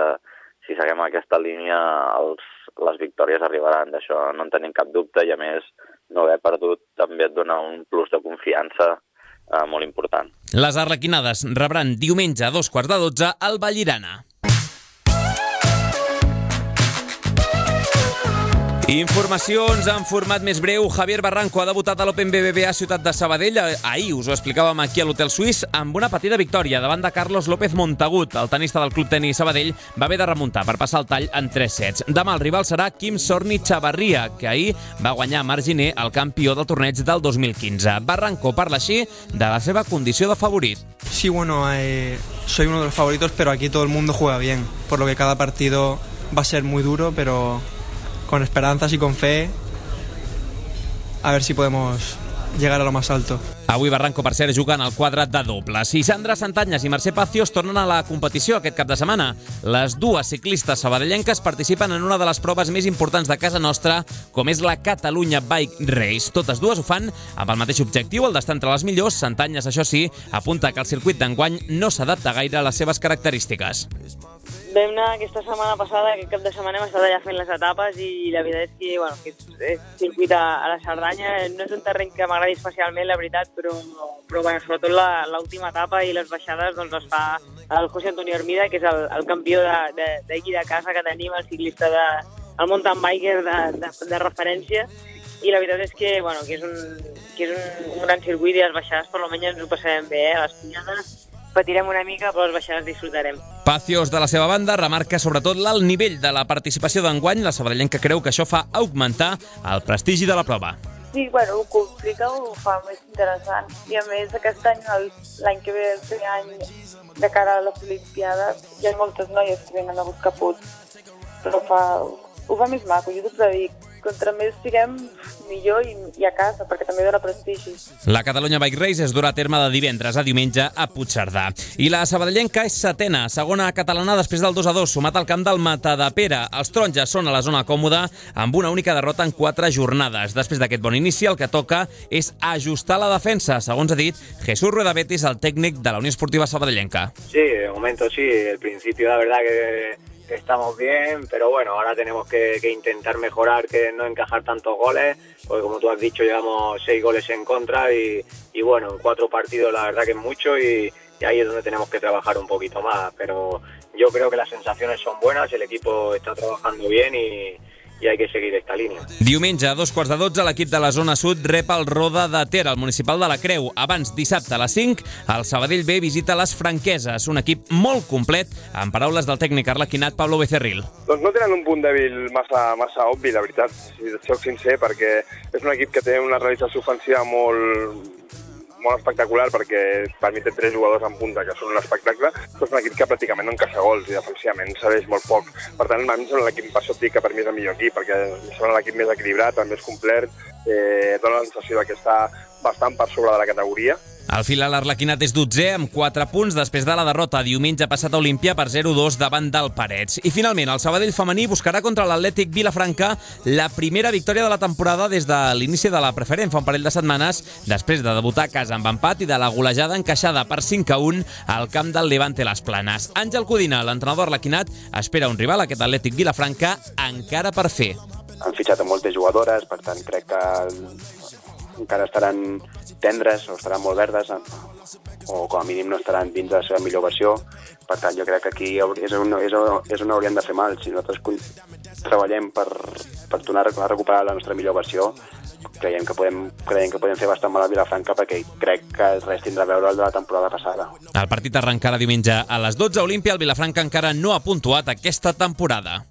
si seguim aquesta línia els, les victòries arribaran. D'això no en tenim cap dubte i, a més, no haver perdut també et dona un plus de confiança eh, molt important. Les arlequinades rebran diumenge a dos quarts de dotze al Vallirana. Informacions en format més breu. Javier Barranco ha debutat a l'Open B B V A Ciutat de Sabadell. Ahir us ho explicàvem aquí a l'Hotel Suís amb una petita victòria davant de Carlos López Montagut. El tenista del Club Tenis Sabadell va haver de remuntar per passar el tall en tres sets. Demà el rival serà Quim Sorni Chavarria, que ahir va guanyar a Marginé, el campió del torneig del dos mil quinze. Barranco parla així de la seva condició de favorit. Sí, bueno, eh, soy uno de los favoritos, pero aquí todo el mundo juega bien, por lo que cada partido va a ser muy duro, pero con esperanzas y con fe, a ver si podemos llegar a lo más alto. Avui Barranco, per cert, juga en el quadre de dobles. I Sandra Santanyes i Mercè Pacios tornen a la competició aquest cap de setmana. Les dues ciclistes sabadellenques participen en una de les proves més importants de casa nostra, com és la Catalunya Bike Race. Totes dues ho fan amb el mateix objectiu, el d'estar entre les millors. Santanyes, això sí, apunta que el circuit d'enguany no s'adapta gaire a les seves característiques. Vam anar aquesta setmana passada, aquest cap de setmana hem estat allà fent les etapes i la veritat és que, bueno, que és, és circuit a, a la Cerdanya. No és un terreny que m'agradi especialment, la veritat, però, però bueno, sobretot l'última etapa i les baixades doncs es fa el José Antonio Hermida, que és el, el campió d'aquí de, de, de casa que tenim, el ciclista, de, el mountain biker de, de, de referència. I la veritat és que, bueno, que és, un, que és un, un gran circuit i les baixades per almenys ens ho passarem bé, eh? Les pujades patirem una mica, però les baixades disfrutarem. Pacios, de la seva banda, remarca sobretot l'alt nivell de la participació d'enguany. La sabadellenca creu que això fa augmentar el prestigi de la prova. Sí, bueno, ho complica, ho fa més interessant. I a més, aquest any, l'any que ve, el primer any de cara a les Olimpiades, hi ha moltes noies que venen a buscar punts, però fa, ho fa més maco. Jo sempre dic, contra més siguem, millor i, i a casa, perquè també dona prestigi. La Catalunya Bike Race es durà a terme de divendres a diumenge a Puigcerdà. I la sabadellenca és setena, segona catalana després del dos a dos, sumat al camp del Matadepera. Els taronges són a la zona còmoda amb una única derrota en quatre jornades. Després d'aquest bon inici, el que toca és ajustar la defensa, segons ha dit Jesús Rueda Betis, el tècnic de la Unió Esportiva Sabadellenca. Sí, de momento sí, el principio la verdad que estamos bien, pero bueno, ahora tenemos que, que intentar mejorar, que no encajar tantos goles, porque como tú has dicho, llevamos seis goles en contra y, y bueno, en cuatro partidos la verdad que es mucho y, y ahí es donde tenemos que trabajar un poquito más, pero yo creo que las sensaciones son buenas, el equipo está trabajando bien y, i hay que seguir esta línia. Diumenge, a dos quarts de dotze, l'equip de la zona sud rep el Roda de Ter, al municipal de la Creu. Abans, dissabte a les cinc, el Sabadell B visita les Franqueses, un equip molt complet, en paraules del tècnic arlequinat Pablo Becerril. Doncs no tenen un punt dèbil massa, massa obvi, la veritat, si et soc sincer, perquè és un equip que té una realització ofensiva molt, molt espectacular perquè per mi té tres jugadors en punta que són un espectacle, però és un equip que pràcticament no encaixa gols i defensivament cedeix molt poc. Per tant, a mi em sembla l'equip, per això et dic que per mi és el millor equip, perquè em sembla l'equip més equilibrat, també és complet, eh, dona la sensació que està bastant per sobre de la categoria. Al final, l'Arlequinat és dotzè amb quatre punts després de la derrota diumenge passat a Olímpia per zero dos davant del Parets. I finalment, el Sabadell femení buscarà contra l'Atlètic Vilafranca la primera victòria de la temporada des de l'inici de la preferent fa un parell de setmanes, després de debutar a casa amb empat i de la golejada encaixada per cinc a un al camp del Levante Les Planes. Àngel Codina, l'entrenador arlequinat, espera un rival, aquest Atlètic Vilafranca, encara per fer. Han fitxat a moltes jugadores, per tant crec que encara estaran tendres o estaran molt verdes o com a mínim no estaran dins de la seva millor versió. Per tant, jo crec que aquí és on, és on, és on hauríem de fer mal. Si nosaltres treballem per, per tornar a recuperar la nostra millor versió, creiem que podem, creiem que podem fer bastant mal a Vilafranca perquè crec que res tindrà a veure el de la temporada passada. El partit arrencarà diumenge a les dotze a Olímpia. El Vilafranca encara no ha puntuat aquesta temporada.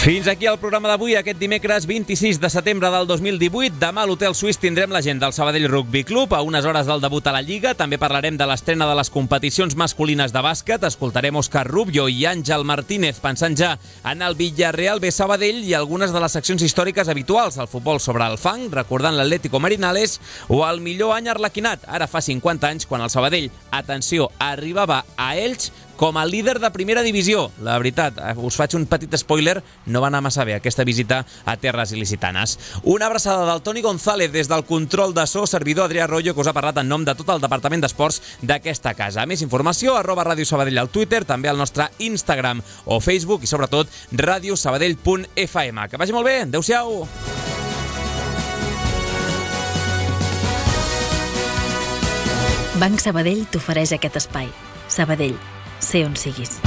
Fins aquí el programa d'avui, aquest dimecres vint-i-sis de setembre del dos mil divuit. Demà a l'Hotel Suís tindrem la gent del Sabadell Rugby Club a unes hores del debut a la Lliga. També parlarem de l'estrena de les competicions masculines de bàsquet. Escoltarem Òscar Rubio i Àngel Martínez pensant ja en el Villarreal B Sabadell i algunes de les seccions històriques habituals, el futbol sobre el fang, recordant l'Atlético Marinales, o el millor any arlequinat, ara fa cinquanta anys, quan el Sabadell, atenció, arribava a Elx com a líder de primera divisió. La veritat, us faig un petit spoiler, no va anar massa bé aquesta visita a terres il·licitanes. Una abraçada del Toni González des del control de so, servidor Adrià Royo, que us ha parlat en nom de tot el Departament d'Esports d'aquesta casa. Més informació, arroba Ràdio Sabadell al Twitter, també al nostre Instagram o Facebook i sobretot radiosabadell punt f m. Que vagi molt bé, adeu-siau! Banc Sabadell t'ofereix aquest espai. Sabadell, sé on siguis.